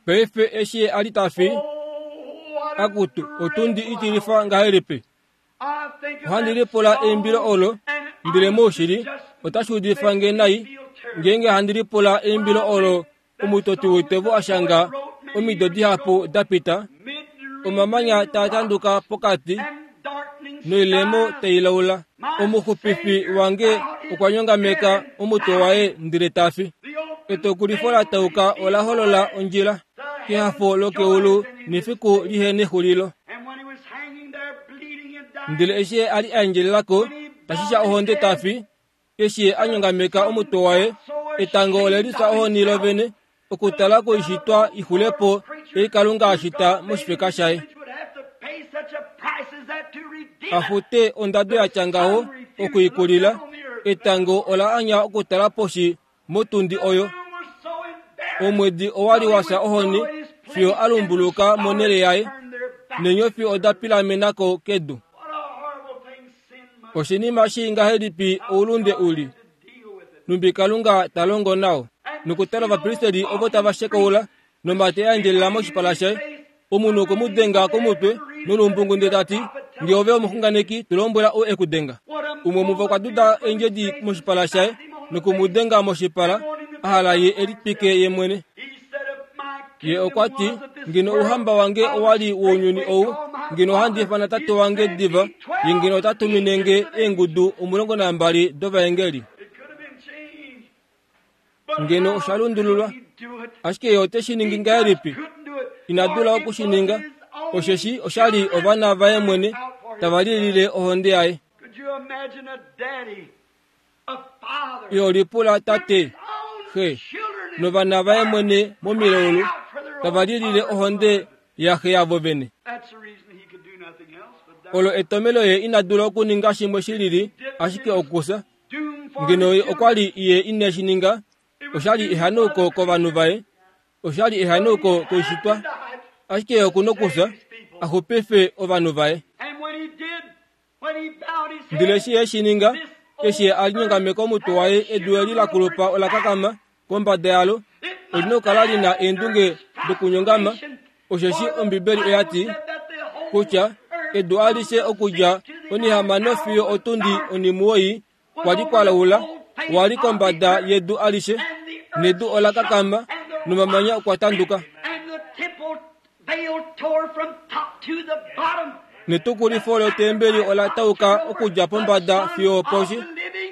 Paife eshi a li ta fi, akutu otundi itilifa ngahelipi? Ohandi lipula eimbilo olo, ndele moushili otashi udifa nge nai ngeenge handi lipula eimbilo olo omutoti woitevo a shanga omido dihapu da pita, omamanya taa tanduka pokati noilemo tai laula. Omuxupifi wange okwa nyongameka omutwe waye ndele ta fi. Etokulifo la tauka ola holola ondjila kehafo lokeulu nefiku lihe nexulilo. Ndele eshi a li a endjelelako tashisha ohonde ta fi, eshi a nyongameka omutwe waye, etango ole lifya ohoni lovene okutala koishitwa ixulepo ei Kalunga a shita moshifeka shaye. Afute ondado ya tya ngaho okuikulila, etango ola anya okutala poshi motundi oyo. Omwedi owa li wa fya ohoni fiyo a lumbuluka monhele yaye, neenyofi oda pilamenako kedu. Oshinima shii ngahelipi oulunde uli, numbi Kalunga ta longo nao. Nokutala ovapristeli ovo tava shekaula nomate a endjelela moshipala shaye, omunhu okwe mu denga komutwe nolumbungu ndele ta ti, nge ove omuxunganeki, tu lombwela ou e ku denga. Umwe muvo okwa duda eendjedi moshipala shaye noku mu denga moshipala, a hala ye e litwike ye mwene. Ye okwa ti, ngeno ouhamba wange owa li wounyuni ou, ngeno ohandi ifana tate wange diva, ye ngeno ota tumine nge eengudu omulongo nambali dovaengeli. Ngeno osha lundululwa, ashike ye ote shi ningi ngahelipi? Ina dula oku shi ninga, osheshi osha li ovana vaye mwene tava lilile ohonde yaye. Iho lipula tate, xe, novana vaye mwene momilaulu tava lilile ohonde yaxe yavo vene. Olo etomelo ye ina dula okuninga shimwe shi lili ashike okufya. Ngeno ye okwa li ye ine shi ninga, osha li ehanauko kovanhu vaye, osha li ehanauko koishitwa, ashike ye oku nokufya a xupife ovanhu vaye. Ndele eshi ye shi ninga, eshi ye a linyongameka omutwe waye, edu eli la kulupa ola kakama kombada yalo, olina okukala lina eendunge dokunyongama, osheshi Ombibeli oya ti kutya edu alishe okudja onihamano fiyo otundi onimuwoi kwa li kwa laula, wa li kombada yedu alishe, nedu ola kakama nomamanya okwa tanduka. Netukulifo lotembeli ola tauka okudja pombada fiyo poshi,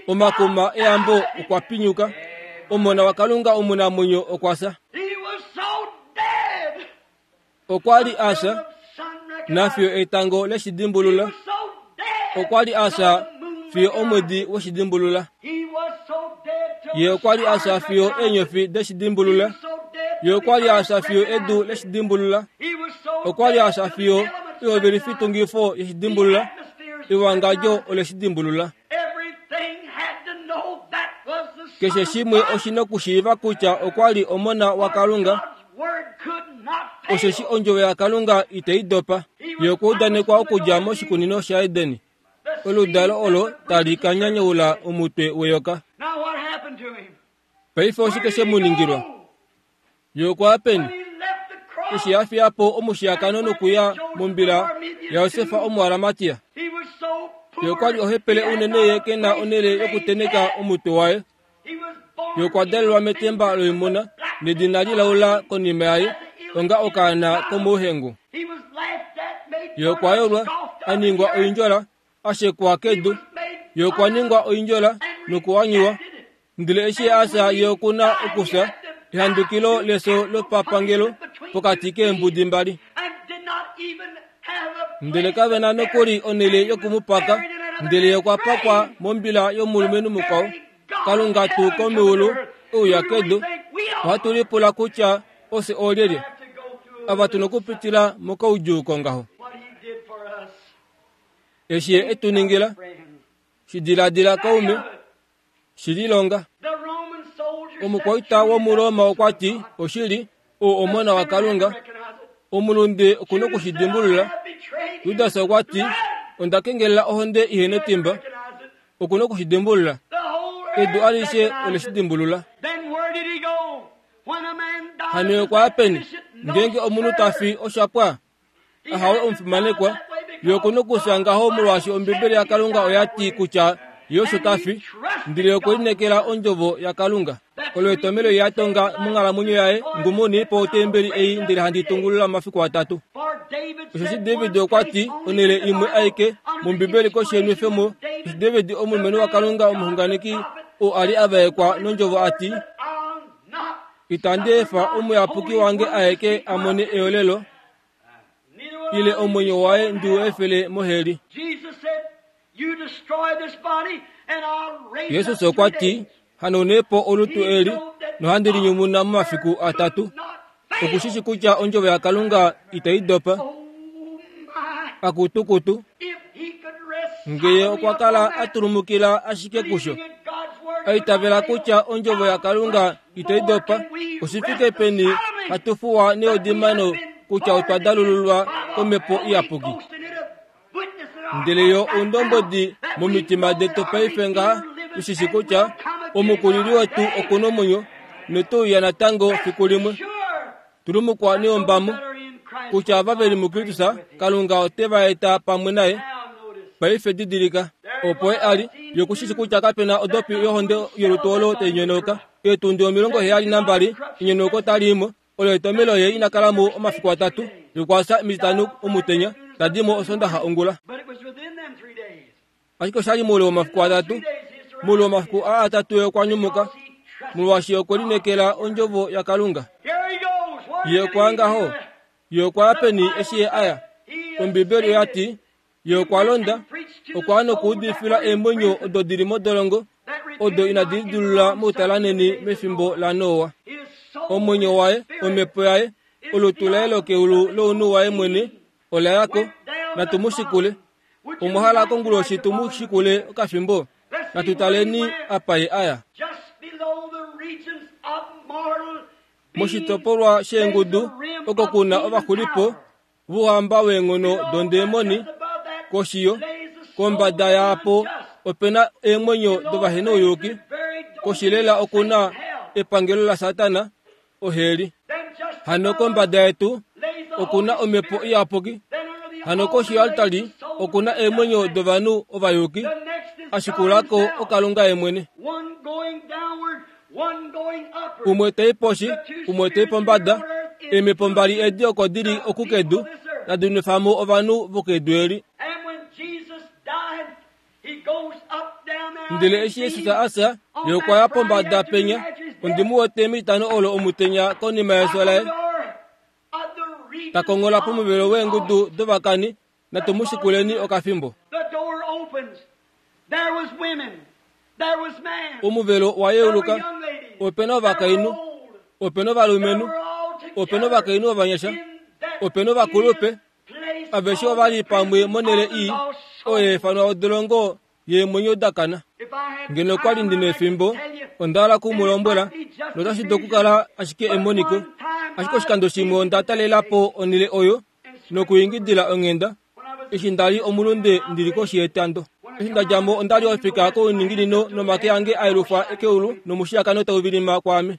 omakuma eyambo okwa pinyuka, Omona waKalunga omunamwenyo okwa fya. Okwa li a fya, nafiyo etango leshidimbulula. Okwa li a fya fiyo omwedi weshidimbulula. Ye okwa li a fya fiyo eenyofi deshidimbulula. Ye okwa li a fya fiyo edu leshidimbulula. Okwa li a fya fiyo ehovelifitungifo yeshidimbulula. Ewangadjo oleshidimbulula. Keshe shimwe oshi nokushiiva kutya okwa li Omona waKalunga, osheshi ondjovo yaKalunga itai dopa. Ye okwa udanekwa okudja moshikunino shaEden. Oludalo olo tali ka nyanyaula omutwe weyoka. Now what happened to him? Paife oshike she mu ningilwa? Ye okwa peni? When he left the cross, Eshi a fiya po omushiyakano nokuya mombila yaJosefa Omuaramatia. he was so poor. Ye okwa li ohepele unene ye ke na onhele yokuteneka omutwe waye. He was born Ye okwa dalelwa metemba loimuna nedina lilaula konima yaye onga okaana komouhengu. He was laughed at, made Ye okwa yolwa, a ningwa oindjola, a shekwa kedu. Ye okwa ningwa oindjola nokuwanyiwa. Ndele eshi a fya ye okuna okufya ehandukilo leso lopapangelo pokati keembudi mbali. and did not even have a Ndele kave na nokuli onhele yokumupaka, ndele ye okwa pakwa mombila yomulumenhu mukwao. Kalunga tuu komeulu ouya kedu. Ohatu lipula kutya ofye oolyelye have to go through ava tuna okupitila mokaudjuu ngaho. what he did for us. Eshi ye etu ningila, Friend. shidiladila kaume, shililonga. The Roman soldier Omukwaita wOmuroma okwa ti, oshili, ou omona waKalunga, omulunde okuna okushidimbulula. Judas okwa ti, onda kengelela ohonde ihe netimba, okuna okushidimbulula. The whole Edu earth alishe recognized ole it. shi dimbulula. Then where did he go? When a man dies, Hano is okwa that peni, sufficient? No, ngenge omunhu ta fi oshapwa, He ahawe had to omufimanekwa, die that way because ye okuna okufya ngaho molwaashi Ombibeli yaKalunga oya ti kutya ye osho ta fi, ndele okwe linekela ondjovo yaKalunga. Olo etomelo ye a tonga monghalamwenyo yaye, ngumuni po otembeli ei ndele handi tungulula momafiku atatu. For David Osheshi said David one okwa place ti only onhele in the imwe Bible, aike under the mOmbibeli koshi yenwefemo, inspiration of eshi David, David omulumenhu waKalunga omuxunganeki oo a li a vaekwa nondjovo a ti, I'll not itandi efa omuyapuki wange aeke a mone eolelo, neither will ile I omwenyo waye ndi u efele moheli. Jesus said, You destroy this body, and I'll raise Jesus up okwa three ti, days. hanounepo olutu eli nohandi linyumuna momafiku atatu. Not fail. Okushishi kutya ondjovo yaKalunga itai dopa, Oh my! akutukutu, If he could rest ngeye soundly okwa kala upon a that, tulumukila ashike kusho. believing in God's word A itavela could not kutya fail, ondjovo yaKalunga itai dopa, oshifike peni hatu fuwa neodimano kutya otwa dalululwa komhepo iyapuki. Ndele yo oundombwedi momitima detu paife ngaha tushishi kutya omukulili wetu okuna omwenyo notouya natango fiku limwe. Tulumukwa neombamo kutya ava veli muKristus Kalunga ote va eta pamwe naye. Paife didilika, opo ye a li, ye okushishi kutya kapena odopi yohonde yolutu olo tai nyonauka. Eetundi omilongo heyali nambali enyonauko tali imo, olo etomelo ye ina kala mo omafiku atatu, yokwasa emititano omutenya, tadi mo osondaxa ongula. But it was within them three days. Ashike oshali moule womafiku atatu, moule womafiku aa atatu ye okwa nyumuka, molwaashi okwe linekela ondjovo yaKalunga. Here he goes. Where Ye did okwa he ngaho, go? ye okwa ya peni eshi ye aya. Ombibeli oya ti, ye okwa londa, okwa ya nokuudifila eemwenyo odo dili modolongo, odo inadi lidilulula moutalaneni mefimbo laNoa. Omwenyo waye, omhepo yaye, olutu laye lokeulu lounhu waye mwene ola yako, natu mu shikule. Omwa hala konguloshi tu mu shikule okafimbo, natu taleni apa ye aya. Just below the regions of mortal Moshitopolwa sheengudu oko kuna ovaxulipo vouhamba weenghono dondeemoni koshiyo, kombada yaapo opena eemwenyo dovahenouyuki, koshilela okuna epangelo laSatana, oheli. Hano kombada yetu okuna omhepo iyapuki, hano koshi yoaltari okuna eemwenyo dovanhu ovayuki, ashikulako oKalunga ye mwene. One going downward, one going upward. Umwe tai poshi, umwe tai pombada, eemhepo mbali edi oko dili okukedu, tadi nwefamo ovanhu vokedu eli. And when Jesus died, he goes up down there. Ndele eshi Jesus a fya, ye okwa ya pombada penya, ondi mu wete mitano olo omutenya konima yefyo laye, ta kongola pomuvelo weengudu dovakani, natu mu shikuleni okafimbo. The door opens. There was women. There was man. Omuvelo wa There were yeuluka, young ladies. opena ovakainhu, There were old. opena ovalumenhu, They were all together opena ovakainhu ovanyasha, in that opena ovakulupe, place aveshe called ova li pamwe prison monhele of the ii lost souls. oyo haifanwa odolongo yeemwenyo dakana. If I had Ngeno okwa li time, ndina I could efimbo, tell you. onda hala ku mu lombwela, notashi dulu okukala ashike emoniko. Ashike oshikando shimwe onda talela po onhele oyo nokuyingidila onghenda, When I was eshi nda li omulunde ndili koshi yetando. Eshi nda dja mo onda li ofika kouninginino nomake ange a yelufwa keulu nomushiyakano tau vilima kwaame.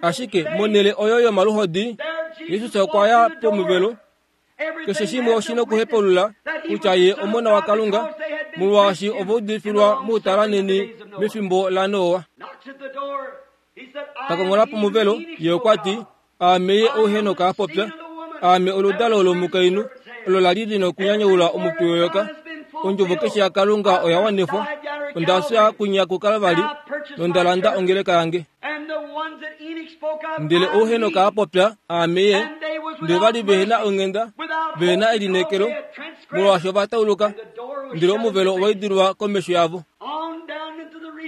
Ashike monhele oyo yomaluhodi, Jesus okwa ya pomuvelo. Keshe shimwe oshi nokuhepulula kutya ye omona waKalunga, molwaashi ova udifilwa moutalaneni mefimbo laNoa. Takongola pomuvelo, ye okwa ti, aame ye ou Henok a popya, aame oludalo lomukainhu, olo la li li nokunyanyaula omutwe weyoka. Ondjovo keshe yaKalunga oya wanifwa. Onda fya kwinya kuKalvari, nonda landa ongeleka yange. Ndele ou Henok a popya, aame ye, ndele va li vehena onghenda, vehena elineekelo, molwaashi ova tauluka, ndele omuvelo owa idilwa komesho yavo.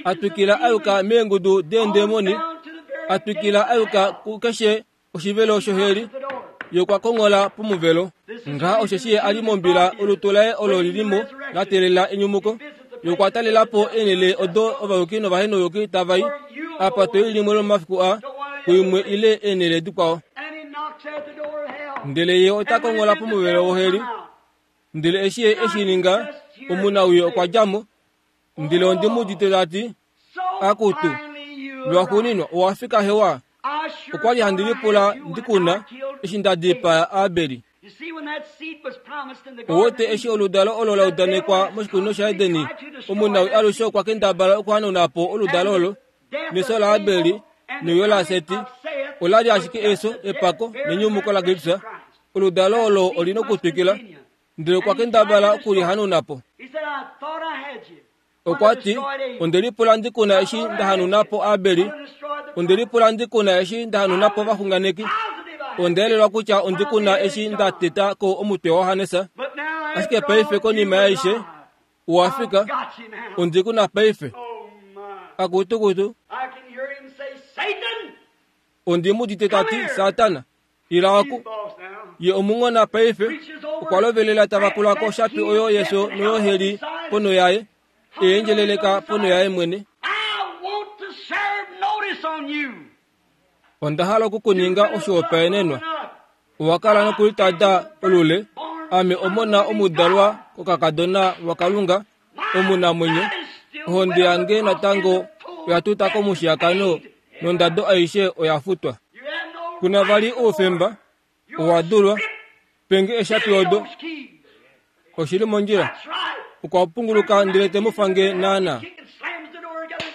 Atwikila a yuka meengudu deendemoni, atwikila a yuka kukeshe oshivelo shoheli, ye okwa kongola pomuvelo. Ngaha osheshi ye a li mombila, olutu laye olo lilimo la teelela enyumuko. Ye okwa talela po eenhele odo ovayuki novahenoyuki tava i, apa to i limwe lomomafiku aa, kuimwe ile eenhele dikwao. Ndele ye ota kongola pomuvelo woheli. Ndele eshi ye eshi ninga, omunawii okwa dja mo. Ndele ondi mu udite ta ti, akutu, lwaxuuninwa owa fika hewa. Okwa li handi lipula ndikuna eshi nda dipaa Abeli. Owete eshi oludalo olo la udanekwa moshikunino shaEdeni, omunawii alushe okwa kendabala okuhanauna po oludalo olo. Neso laAbeli neuyo laSeti ola li ashike eso, epako nenyumuko laKristus. Oludalo olo oli nokutwikila, ndele okwa kendabala okulihanauna po. Okwa ti, onde lipula ndikuna eshi nda hanauna po Abeli, onde lipula ndikuna eshi nda hanauna po ovaxunganeki, onda elelwa kutya ondikuna eshi nda teta ko omutwe waJohannes. Ashike paife konima yaishe, owa fika, ondikuna paife. Akutukutu. Ondi mu udite ta ti, Satana, ila oku. Ye omunghona paife, okwa lovelela tava kula koshapi oyo yeso noyoheli pono yaye, eendjeleleka pono yaye mwene. Onda hala okukuninga oshihopaenenwa. Owa kala nokulitada olule, ame omona omudalwa kokakadona waKalunga, omunamwenyo, ohonde yange natango oya tuta komushiyakano nondado aishe oya futwa. Kuna vali oufemba, owa dulwa, penge eshapi odo. Oshili mondjila. Okwa punguluka ndele te mu fange naana.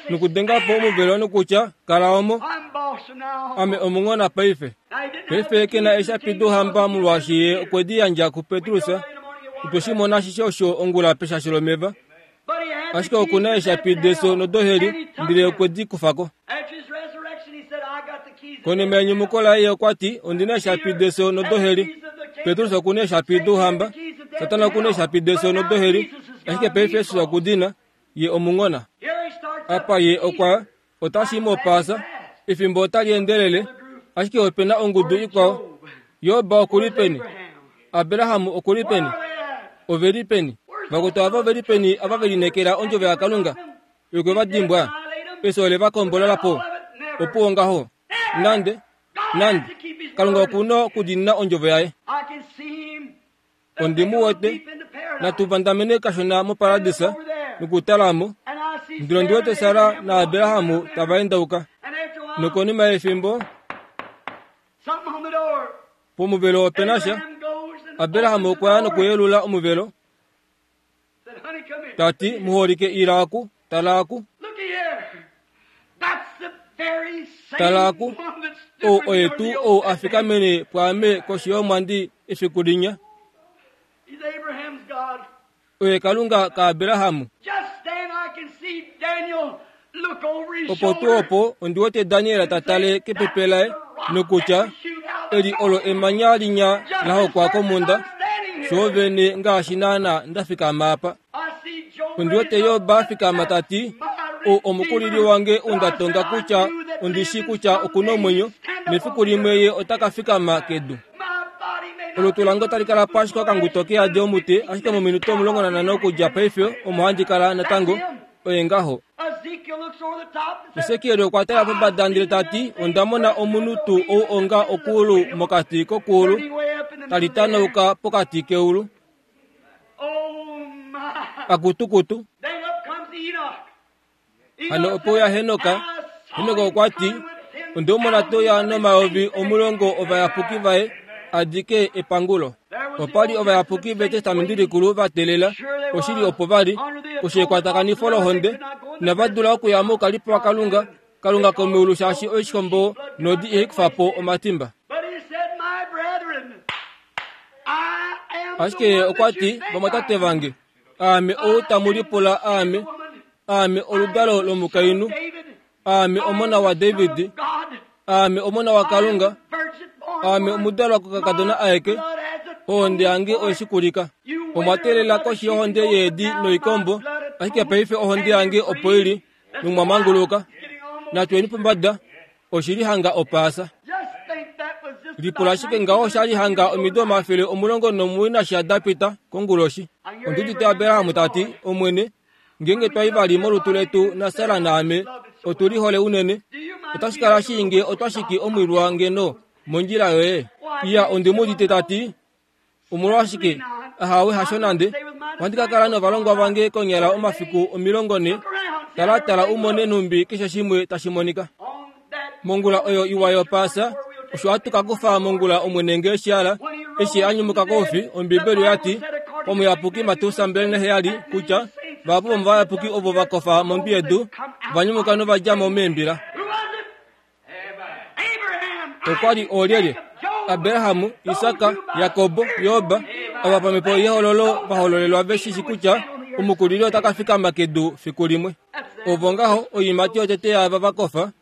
Nokudenga po omuvelo nokutya, kala omo, ame omunghona paife. Paife ke na eshapi douhamba molwaashi ye okwe di yandja kuPetrus. Otwe shi mona ashishe osho ongula peshasho lomeva. Ashike oku na eshapi deso nodoheli, ndele okwe di kufa ko. Konima yenyumuko laye okwa ti, ondi na eshapi deso nodoheli. Petrus oku na eshapi douhamba, Satana oku na eshapi deso nodoheli, ashike paife Jesus oku di na, ye omunghona. Apa ye okwa, otashi mopaasa, efimbo otali endelele, ashike ope na ongudu ikwao. Job oku li peni? Abraham oku li peni? Ove li peni? Vakwetu ava ove li peni ava ve lineekela ondjovo yaKalunga? Okwe va dimbwa. Efyo ole va kombolola po. Opuwo ngaho. Nande, nande, Kalunga oku na okudiinina ondjovo yaye. Ondi mu wete, natu vandamene kashona moparadisa nokutala mo. Ndele ondi wete Sara naAbraham tava endauka. Nokonima yefimbo, pomuvelo ope na sha, Abraham okwa ya nokuyelula omuvelo, ta ti, muholike ila oku, tala oku. Tala oku, ou oye tuu ou a fikamene pwaame koshi yomwandi efiku linya. Oye Kalunga kaAbraham. Opo tuu opo ondi wete Daniel ta tale kepepe laye nokutya, eli olo emanya linya la hokwa komhunda, shoovene ngaashi naana nda fikama apa. Ondi wete Job a fikama ta ti, ou omukulili wange ou nda tonga kutya ondi shii kutya oku na omwenyo, nefiku limwe ye ota ka fikama kedu. Olutu lange otali kala po ashike okanguto keyadi omute, ashike mominute omulongo nanhano okudja paife omo handi kala natango, oye ngaho. Esekiel okwa tala pombada ndele ta ti, onda mona omunhu tuu ou onga okuulu mokati kokuulu, tali tanauka pokati keulu. Akutukutu. Then up comes Enoch. Hano opo uya Henoka. Henoka okwa ti, onde mona toya nomayovi omulongo ovayapuki vaye adike epangulo. Opa li ovayapuki vetestamenti likulu va teelela, oshili opo vali, koshi yekwatakanifo lohonde, inava dula okuya moukalipo waKalunga, Kalunga komeulu shaashi oishikombo nodi ihai kufa po omatimba. But he said, My brethren, I am the Ashike ye one okwa that you ti, think vamwatate I am. vange, aame ou tamu lipula aame, aame oludalo lomukainhu, David, aame omona waDavid, God, aame omona waKalunga, virgin born aame omudalwa kokakadona aeke, ohonde yange oyeshikulika. Omwa teelela koshi yohonde yeedi noikombo, ashike paife ohonde yange opo ili, nomwa manguluka. Natweni pombada, oshili hanga opaasa. Just think that was just Lipula ashike ngaho shali hanga omido omafele omulongo nomuwoi nasha da pita konguloshi. Ondi udite Abraham ta ti, Omwene, ngeenge twai vali molutu letu naSara naame, otu lihole unene. Otashi kala shii nge otwa shiki omwilwa ngeno mondjila yoye. Iya ondi mu udite ta ti, omolwashike ahawe hasho nande. Ohandi ka kala novalongwa vange konyala omafiku omilongo ne. Tala tala umone nhumbi keshe shimwe tashi monika. on that Mongula oyo iwa yopaasa, osho hatu ka kufa mongula Omwene nge shiala, eshi a nyumuka koufi, Ombibeli oya ti, omuyapuki Mateus mbali naheyali kutya vahapu vomovayapuki ovo va kofa mondwi yedu, va nyumuka nova dja mo meembila. Who was it? Abraham, Okwa li oolyelye? Abrahamu, Isaka, Jakobo, Yoba, ava pamhepo yehololo va hololelwa ve shi shi kutya omukulili ota ka fikama kedu fiku limwe. Ovo ngaho oiimati yotete yaava va kofa,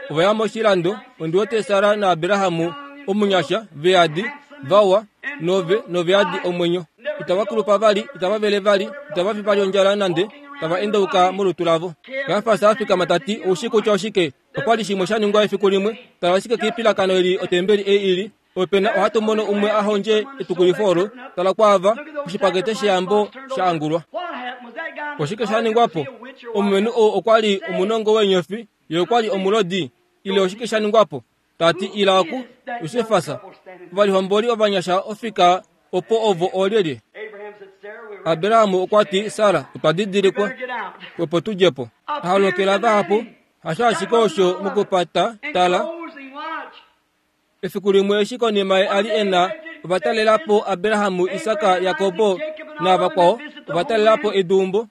ova ya moshilando, ondi wete Sara naAbrahamu omunyasha, veadi, vawa, nove noveadi omwenyo. Itava kulupa vali, itava vele vali, itava fi vali ondjala nande, tava endauka molutu lavo. Kajafas a fikama ta ti, oushi kutya oshike? Opa li shimwe sha ningwa efiku limwe, tala ashike keipilakano eli otembeli ei ili, opena ohatu mono umwe a hondje etukulifo olo, tala kwaava, oshipakete sheyambo sha angulwa. What happened? Was that guy Oshike sha ningwapo? Omulumenhu oo okwa li omunongo weenyofi, ye okwa li omulodi, ile oshike sha ningwapo? Ta ti ila oku, Josefas, ovalihomboli ovanyasha ofika opo ovo oolyelye? Abraham said, Sarah, we were Abrahamu okwa ti, Sara, otwa didilikwa, better get out. opo tudje po. Aholokela vahapu, hasho ashike osho mokupata, tala, Closing watch. efiku limwe eshi konima ye a li e na ovatalela po Abrahamu, Isaka, Jakobo navakwao, ovatalela po eduumbo.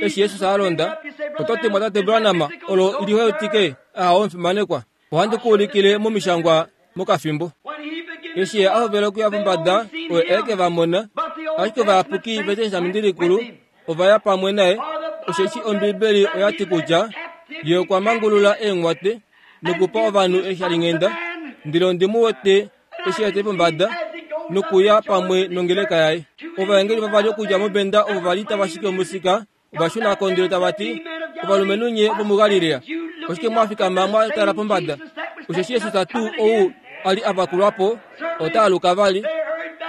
Eshi Jesus a londa, oto ti mwatate Branham, olo liheutike, aha omufimanekwa. Ohandi ku ulikile momishangwa mokafimbo. When he began Eshi ye a hovela okuya pombada, oye eke va mona, ashike ovayapuki vetestamenti likulu ova ya pamwe naye, osheshi Ombibeli oya ti kutya ye okwa mangulula eenghwate nokupa ovanhu eshalinghenda, ndele ondi mu wete eshi ete pombada nokuya pamwe nongeleka yaye. Ovaengeli vavali okudja mobenda ovo vali tava shiki omusika ova shuna ko ndele tava ti, ovalumenhu nye vomuGalilea, oshike mwa fikama mwa tala pombada? Osheshi Jesus tuu ou a li a vakulwa po, ota aluka vali.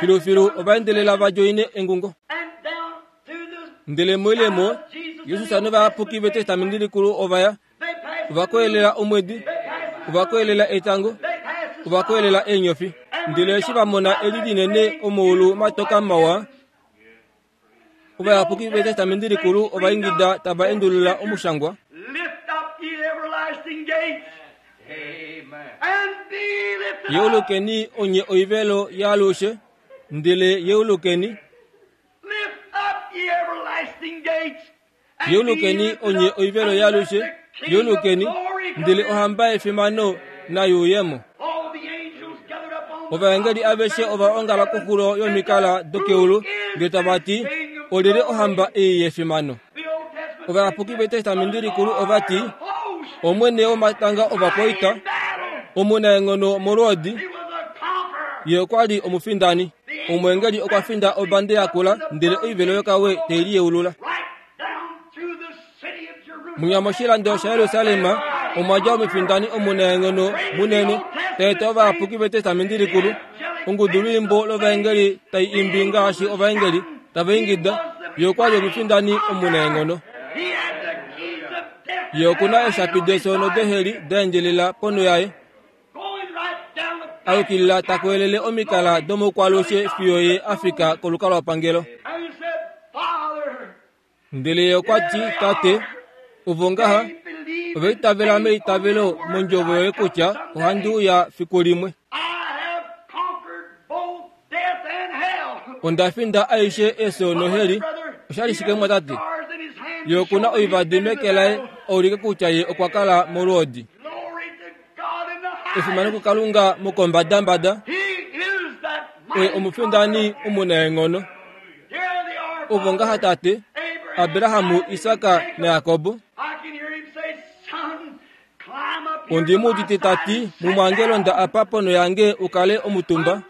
Filufilu ova endelela va djoine engungo. And down through the Ndele moilemo, Jesus novayapuki vetestamenti likulu ova ya, they passed ova koyelela omwedi, ova koyelela etango, they passed the ova koyelela eenyofi. Ndele eshi va mona eli linene omoulu matoka mawa, ovayapuki vetestamenti likulu ova ingida tava endulula omushangwa, Lift up ye everlasting gates. And be lifted up. yeulukeni onye oivelo yaalushe, ndele yeulukeni, Lift up ye everlasting gates. And be yeulukeni lifted onye up, oivelo and yaalushe, let the King of yeulukeni, glory come ndele in. ohamba yefimano nayuuyemo. All the angels gathered up on the Ovaengeli top of the aveshe ova ongala koxulo yomikala dokeulu, ndele tava ti, olyelye ohamba ei yefimano? The Old Testament Ovayapuki vetestamenti likulu ova ti, host Omwene womatanga ovakwaita, in battle. omunaenghono molwoodi, He was a conqueror. ye okwa li omufindani. Omwengeli okwa finda obande yakula, ndele oivelo yokawe tei liyeulula. Right down through the city of Jerusalem. Munya moshilando shaYerusalem omwa dja omufindani omunaenghono munene, ta eta ovayapuki vetestamenti likulu. Ongudu lwiimbo lovaengeli tai imbi ngaashi ovaengeli tava ingida, ye okwa li omufindani omunaenghono. He had the keys of death. Ye okuna eeshapi defyo nodeheli da endjelela ponho yaye, Going right down the a yukilila ta koyelele omikala domokwalushe fiyo ye a fika kolukalwapangelo. And he said, Father, Ndele ye okwa ti, Tate, ovo ngaha ova itavela meitavelo mondjovo yoye kutya ohandi uya fiku limwe. Onda finda aishe efyo noheli. Oshali shike mwatate? Ye okuna oivadi meke laye aulike kutya ye okwa kala molwoodi. Efimano kuKalunga mokombadambada. Oye omufindani omunaenghono. Ovo ngaha tate, Abrahamu, Isaka naJakobo. Ondi mu udite tati, mumwange londa apa pono yange ukale omutumba.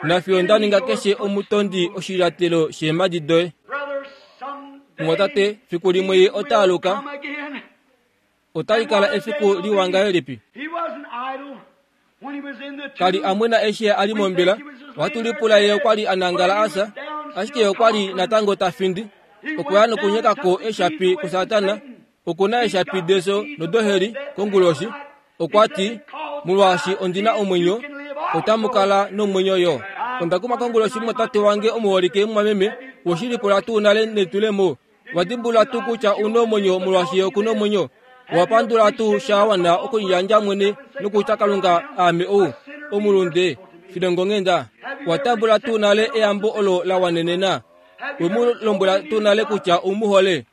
Nafiyo nda ninga keshe omutondi oshilyatelo sheemadi doye. Mwatate, fiku limwe ye ota aluka. Otali kala efiku liwa ngahelipi? Kali amwena eshi a li mombila. Ohatu lipula ye okwa li a nangala asa, ashike okwa li natango ta findi. Okwa ya nokunyekako eshapi kuSatana. Okuna eshapi deso nodoheli konguloshi. Okwa ti, molwaashi ondina omwenyo, otamu kala nomwenyo yo. Onda kuma konguloshi mwatate wange omuholike mwameme, woshilipula tuu nale netulemo. Wadimbula tuu kutya una omwenyo molwaashi okuna omwenyo. Wapandula tuu shawana okuliyandja mwene nokutya Kalunga aame ou omulunde filongo ngenda. Watambula tuu nale eyambo olo la wanenena. Wemu lombwela tuu nale kutya umuhole.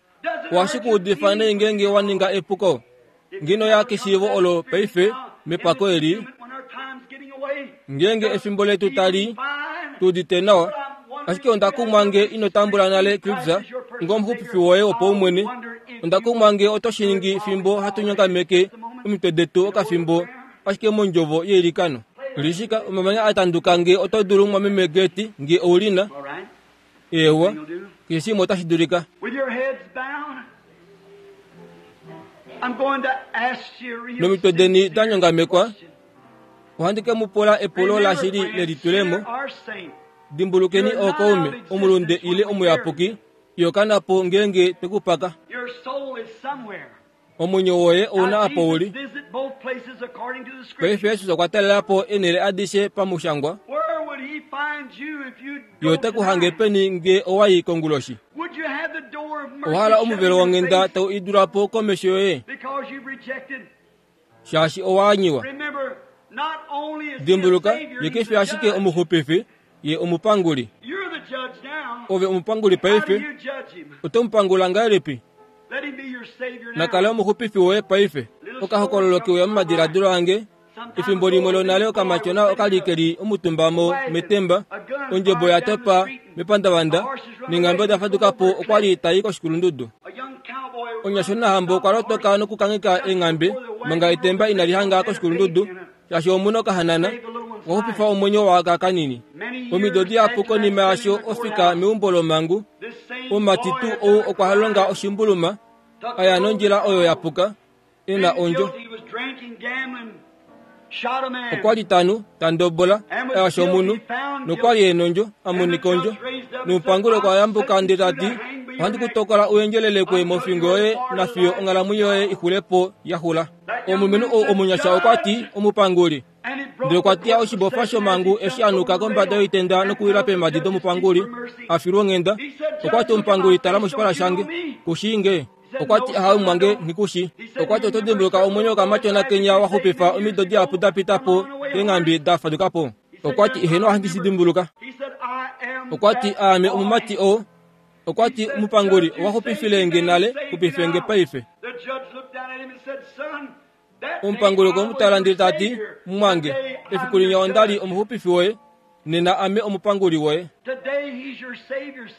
Washikuudifa ngeenge wa ninga epuko. Ngino ya keshiivo olo paife mepako eli. Ngeenge efimbo letu tali tuudite nawa. Ashike onda kumwa nge ino tambula nale Kristus ngomuxupifi woye wopaumwene. Onda kumwa nge oto shi ningi fimbo hatu nyongameke omitwe detu okafimbo ashike mondjovo yeilikano. Lishika omamanya atanduka nge oto dulu mwameme Geti nge oulina. Ewa, keshe shimwe otashi dulika. Nomitwe deni da nyongamekwa, ohandi ke mu pula epulo lashili lelitulemo. Dimbulukeni ookaume, omulunde ile omuyapuki, yokanapo ngeenge tekupaka. Omwenyo woye ouna apa uli. Paife Jesus okwa talela po enele adishe pamushangwa. Ye ote ku hange peni nge owayi konguloshi. Owahala omuvelo wonghenda tau idula po komesho yoye, shaashi owaanyiwa. Dimbuluka, ye kefi ashike omuxupifi, ye omupanguli. Ove omupanguli paife, oto mupangula ngahelipi? Nakale omuxupifi woye paife. Okahokololo keuya momadiladilo ange. Efimbo limwe lonale okamatyona okali keli omutumba mo metemba, ondjebo ya topa mepandavanda, nenghambe oda faduka po okwali tai koshikulundudu. Onyashonahambo okwa lotoka nokukangheka eenghambe manga etemba inali hanga koshikulundudu, shaashi omuna okahanana okwa xupifa omwenyo waka kanini. Omido dihapu konima yasho ofika meumbo lomangu, omumati tuu ou okwa longa oshimbuluma, aya nondjila oyo yapuka, ena ondjo. Okwa li tanu tandobola ayasha omunhu, nokwali enondjo amonika ondjo. Nomupanguli okwa yambuka ndele tati, ohandi ku tokola uendjelelekwe mofingo yoye nafiyo onghalamwenyo yoye ixulepo yaxula. Omulumenhu ou omunyasha okwa ti, omupanguli. Ndele okwa teya oshibofa shomangu eshi anuka kombada yoitenda nokuwila peemhadi domupanguli a filwa onghenda. Okwa ti, omupanguli, tala moshipala shange, kushiinge. Okwa ti, ahawe mwange, nghikushi. Okwa ti, oto dimbuluka omwenyo wokamatyona kenya wa xupifa omido dihapu da pita po keenghambe da faduka po. Okwa ti, eheno ohandi shi dimbuluka. Okwa ti, aame omumati oo. Okwa ti, omupanguli, owa xupifile nge nale, xupife nge paife. Omupanguli okwe mu tala ndele tati, mumwange, efiku linya onda li omuxupifi woye, nena ame omupanguli woye.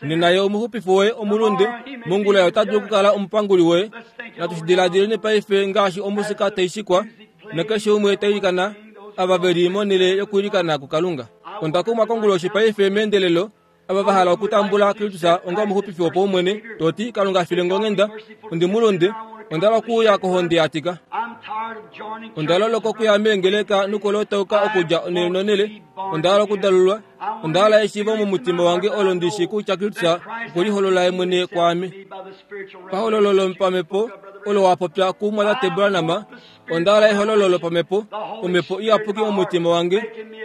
Nena ye omuxupifi woye omulunde, mongula ye ota dulu okukala omupanguli woye. Natu shi diladileni paife ngaashi omusika tai shikwa, nakeshe umwe ta ilikana, ava veli monhele yokuilikana kuKalunga. Onda kumwa konguloshi paife meendelelo, ava va hala okutambula Kristus onga omuxupifi wopaumwene, toti Kalunga file nge onghenda, ondi mulunde, onda hala okuuya kohonde ya tika. Onda loloka okuya meengeleka nokulotauka okudja onele nonele. Onda hala okudalulwa. Onda hala eshiivo momutima wange olo ndishi kutya Kristus okweliholola ye mwene kwaame. Pahololo lopamhepo, Olo wa popya kumwatate Branham, onda hala ehololo lopamhepo, omhepo iyapuki momutima wange,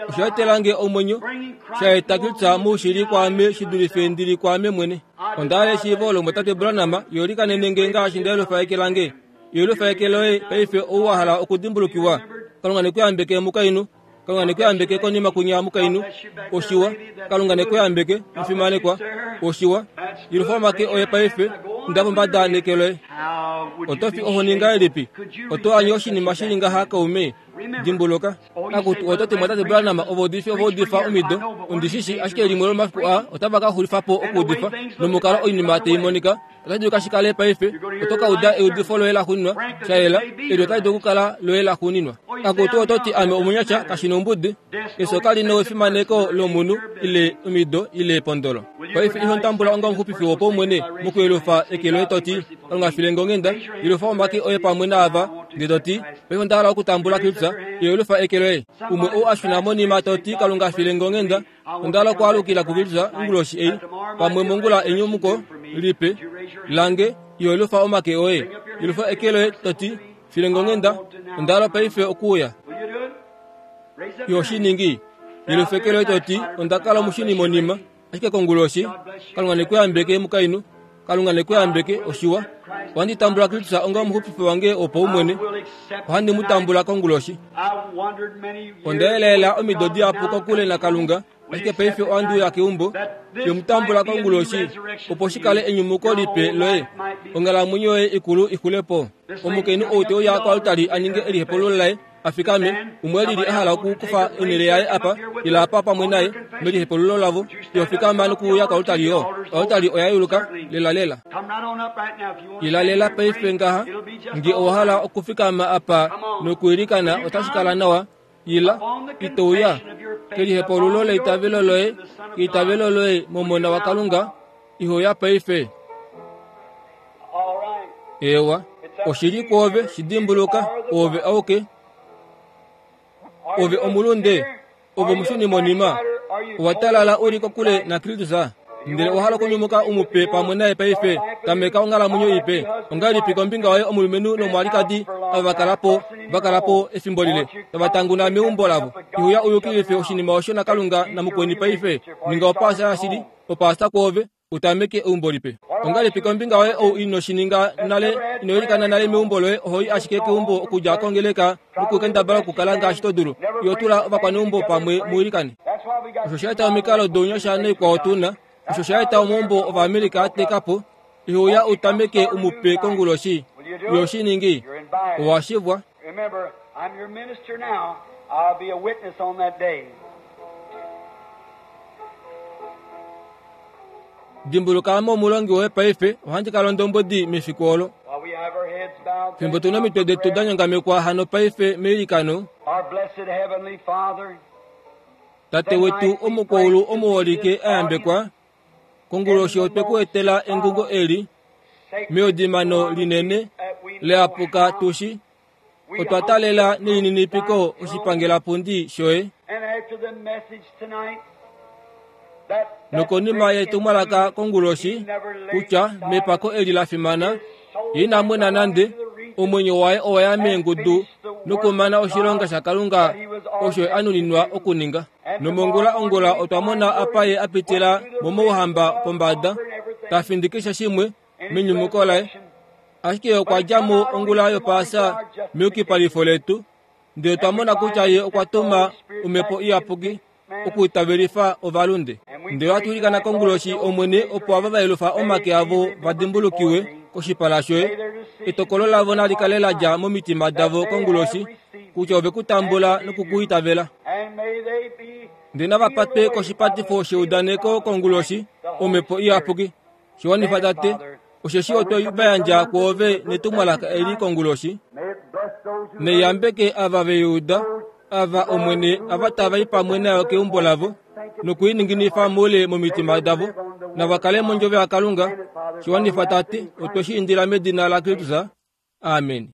osha etelange omwenyo, sha eta Kristus moushili kwaame shi dulife ndili kwaame mwene. Onda hala eshiivo olo mwatate Branham, yolikanenenge ngaashi nda yelufa eke lange. Yelufa eke loye paife ou wa hala okudimbulukiwa. Kalunga nekuyambeke mukainhu. Kalunga nekuyambeke konima kunya mukainhu. Oshiwa. Kalunga nekuyambeke mufimanekwa. Oshiwa. Yelufa omake oye paife, nda pombada neke loye. Oto fi ohoni ngahelipi? Oto anye oshinima shili ngaha kaume. Dimbuluka. Akutu oto ti mwatate Branham ovaudifi ovaudifa omido. Ondishishi ashike limwe lomafiku aa otava ka xulifa po okuudifa. Nomukalo oinima tai monika, otashi dulika shi kale paife. Oto ka uda eudifo loye laxuuninwa, sha yela, eli otali dulu okukala loye laxuuninwa. Akutu oto ti ame omunyasha kashi nombudi. Efyo kali nefimaneko lomunhu ile omido ile epondolo. Paife iho tambula onga omuxupifi wopaumwene mokuyelufa eke loye to ti, Kalunga filenge onghenda, yelufa omake oye pamwe naava, ndee to ti, paife onda hala okutambula Kristus, yelufa eke loye. Umwe ou a shuna monima to ti, Kalunga filenge onghenda, onda hala okwaalukila kuKristus onguloshi ei, pamwe mongula enyumuko lipe lange, yelufa omake oye. Yelufa eke loye to ti, filenge onghenda, onda hala paife okuuya. Yoshiningi, yelufa eke loye to ti, onda kala omushuni monima, ashike konguloshi, Kalunga nekuyambeke mukainhu. Kalunga nekuyambeke oshiwa. Ohandi tambula Kristus onga omuxupifi wange wopaumwene. Ohandi mu tambula konguloshi. Onda yelaela omido dihapu kokule naKalunga, ashike paife ohandi uya keumbo. Yomutambula konguloshi, opo shi kale enyumuko lipe loye, onghalamwenyo yoye ikulu ixule po. Omukainhu ou te uya koaltari a ninge elihepululo laye, a fikame, umwe lili a hala okukufa onhele yaye apa, ila apa pamwe naye, melihepululo lavo, yo fikama nokuuya koaltari yo. Oaltari oya yuluka, lela lela. Ila lela paife ngaha, nge owa hala okufikama apa nokuilikana otashi kala nawa, ila, ito uya, kelihepululo leitavelo loye, keitavelo loye momona waKalunga, iho ya paife. Ewa, oshili kwoove shidimbuluka, oove auke. Ove omulunde, ove omushuni monima, owa talala uli kokule naKristus, ndele owa hala okunyumuka umupe pamwe naye paife, tameka onghalamwenyo ipe. Ongahelipi kombinga yoye omulumenhu nomwalikadi ava vakala po, vakala po efimbo lile, tava tanguna meumbo lavo. Ihuya uyukilife oshinima osho naKalunga namukweni paife. Ninga opaasa yashili, opaasa kwoove, utameke eumbo lipe. Ongahelipi kombinga yoye ou ino shininga nale, ino ilikana nale meumbo loye, oho i ashike keumbo okudja kongeleka nokukendabala okukala ngaashi to dulu. Iyo tula ovakwaneumbo pamwe muilikane. Osho sha eta omikalo dounyasha noikwao tuna. Osho sha eta omaumbo Ovaamerica a teka po. Ihuya utameke umupe konguloshi. Yo shiningi, owa shivwa. Remember, I'm your minister now. I'll be a witness on that day. Dimbuluka ame omulongi woye paife, ohandi kala ondombwedi mefiku olo. While we have our heads bowed, Fimbo tuna omitwe detu da nyongamekwa hano paife meilikano, our blessed heavenly Father, Tate wetu omukwaulu omuholike a yambekwa, konguloshi otwe ku etela engungo eli, meodimano linene leapuka tushi, otwa talela nelininipiko oshipangelapundi shoye. and after the message tonight, that, that Nokonima yetumwalaka konguloshi, kutya mepako eli la fimana, ye ina mwena nande, omwenyo waye owa ya meengudu nokumana oshilonga shaKalunga osho a nuninwa okuninga. Nomongula ongula otwa mona apa ye a pitila momouhamba pombada, ta findikisha shimwe menyumuko laye. Ashike okwa dja mo ongula yopaasa meyukipalifo letu, ndele otwa mona kutya ye okwa tuma omhepo iyapuki okuitavelifa ovalunde. Ndele ohatu ilikana konguloshi Omwene opo ava va yelufa omake avo va dimbulukiwe koshipala shoye. Etokolo lavo nali kale la dja momitima davo konguloshi, kutya ove ku tambula nokukuitavela. and may they be Ndele nava patwe koshipatifo sheudaneko konguloshi, omhepo iyapuki. Shiwanifa Tate, osheshi otwe va yandja kwoove netumwalaka eli konguloshi. May it bless those who Neyambeke ava veyuda, ava Omwene ava tava i pamwe nayo keumbo lavo, nokuininginifa moule momitima davo, nava kale mondjove yaKalunga. Shiwanifa Tate, otwe shi indila medina laKristus. Amen.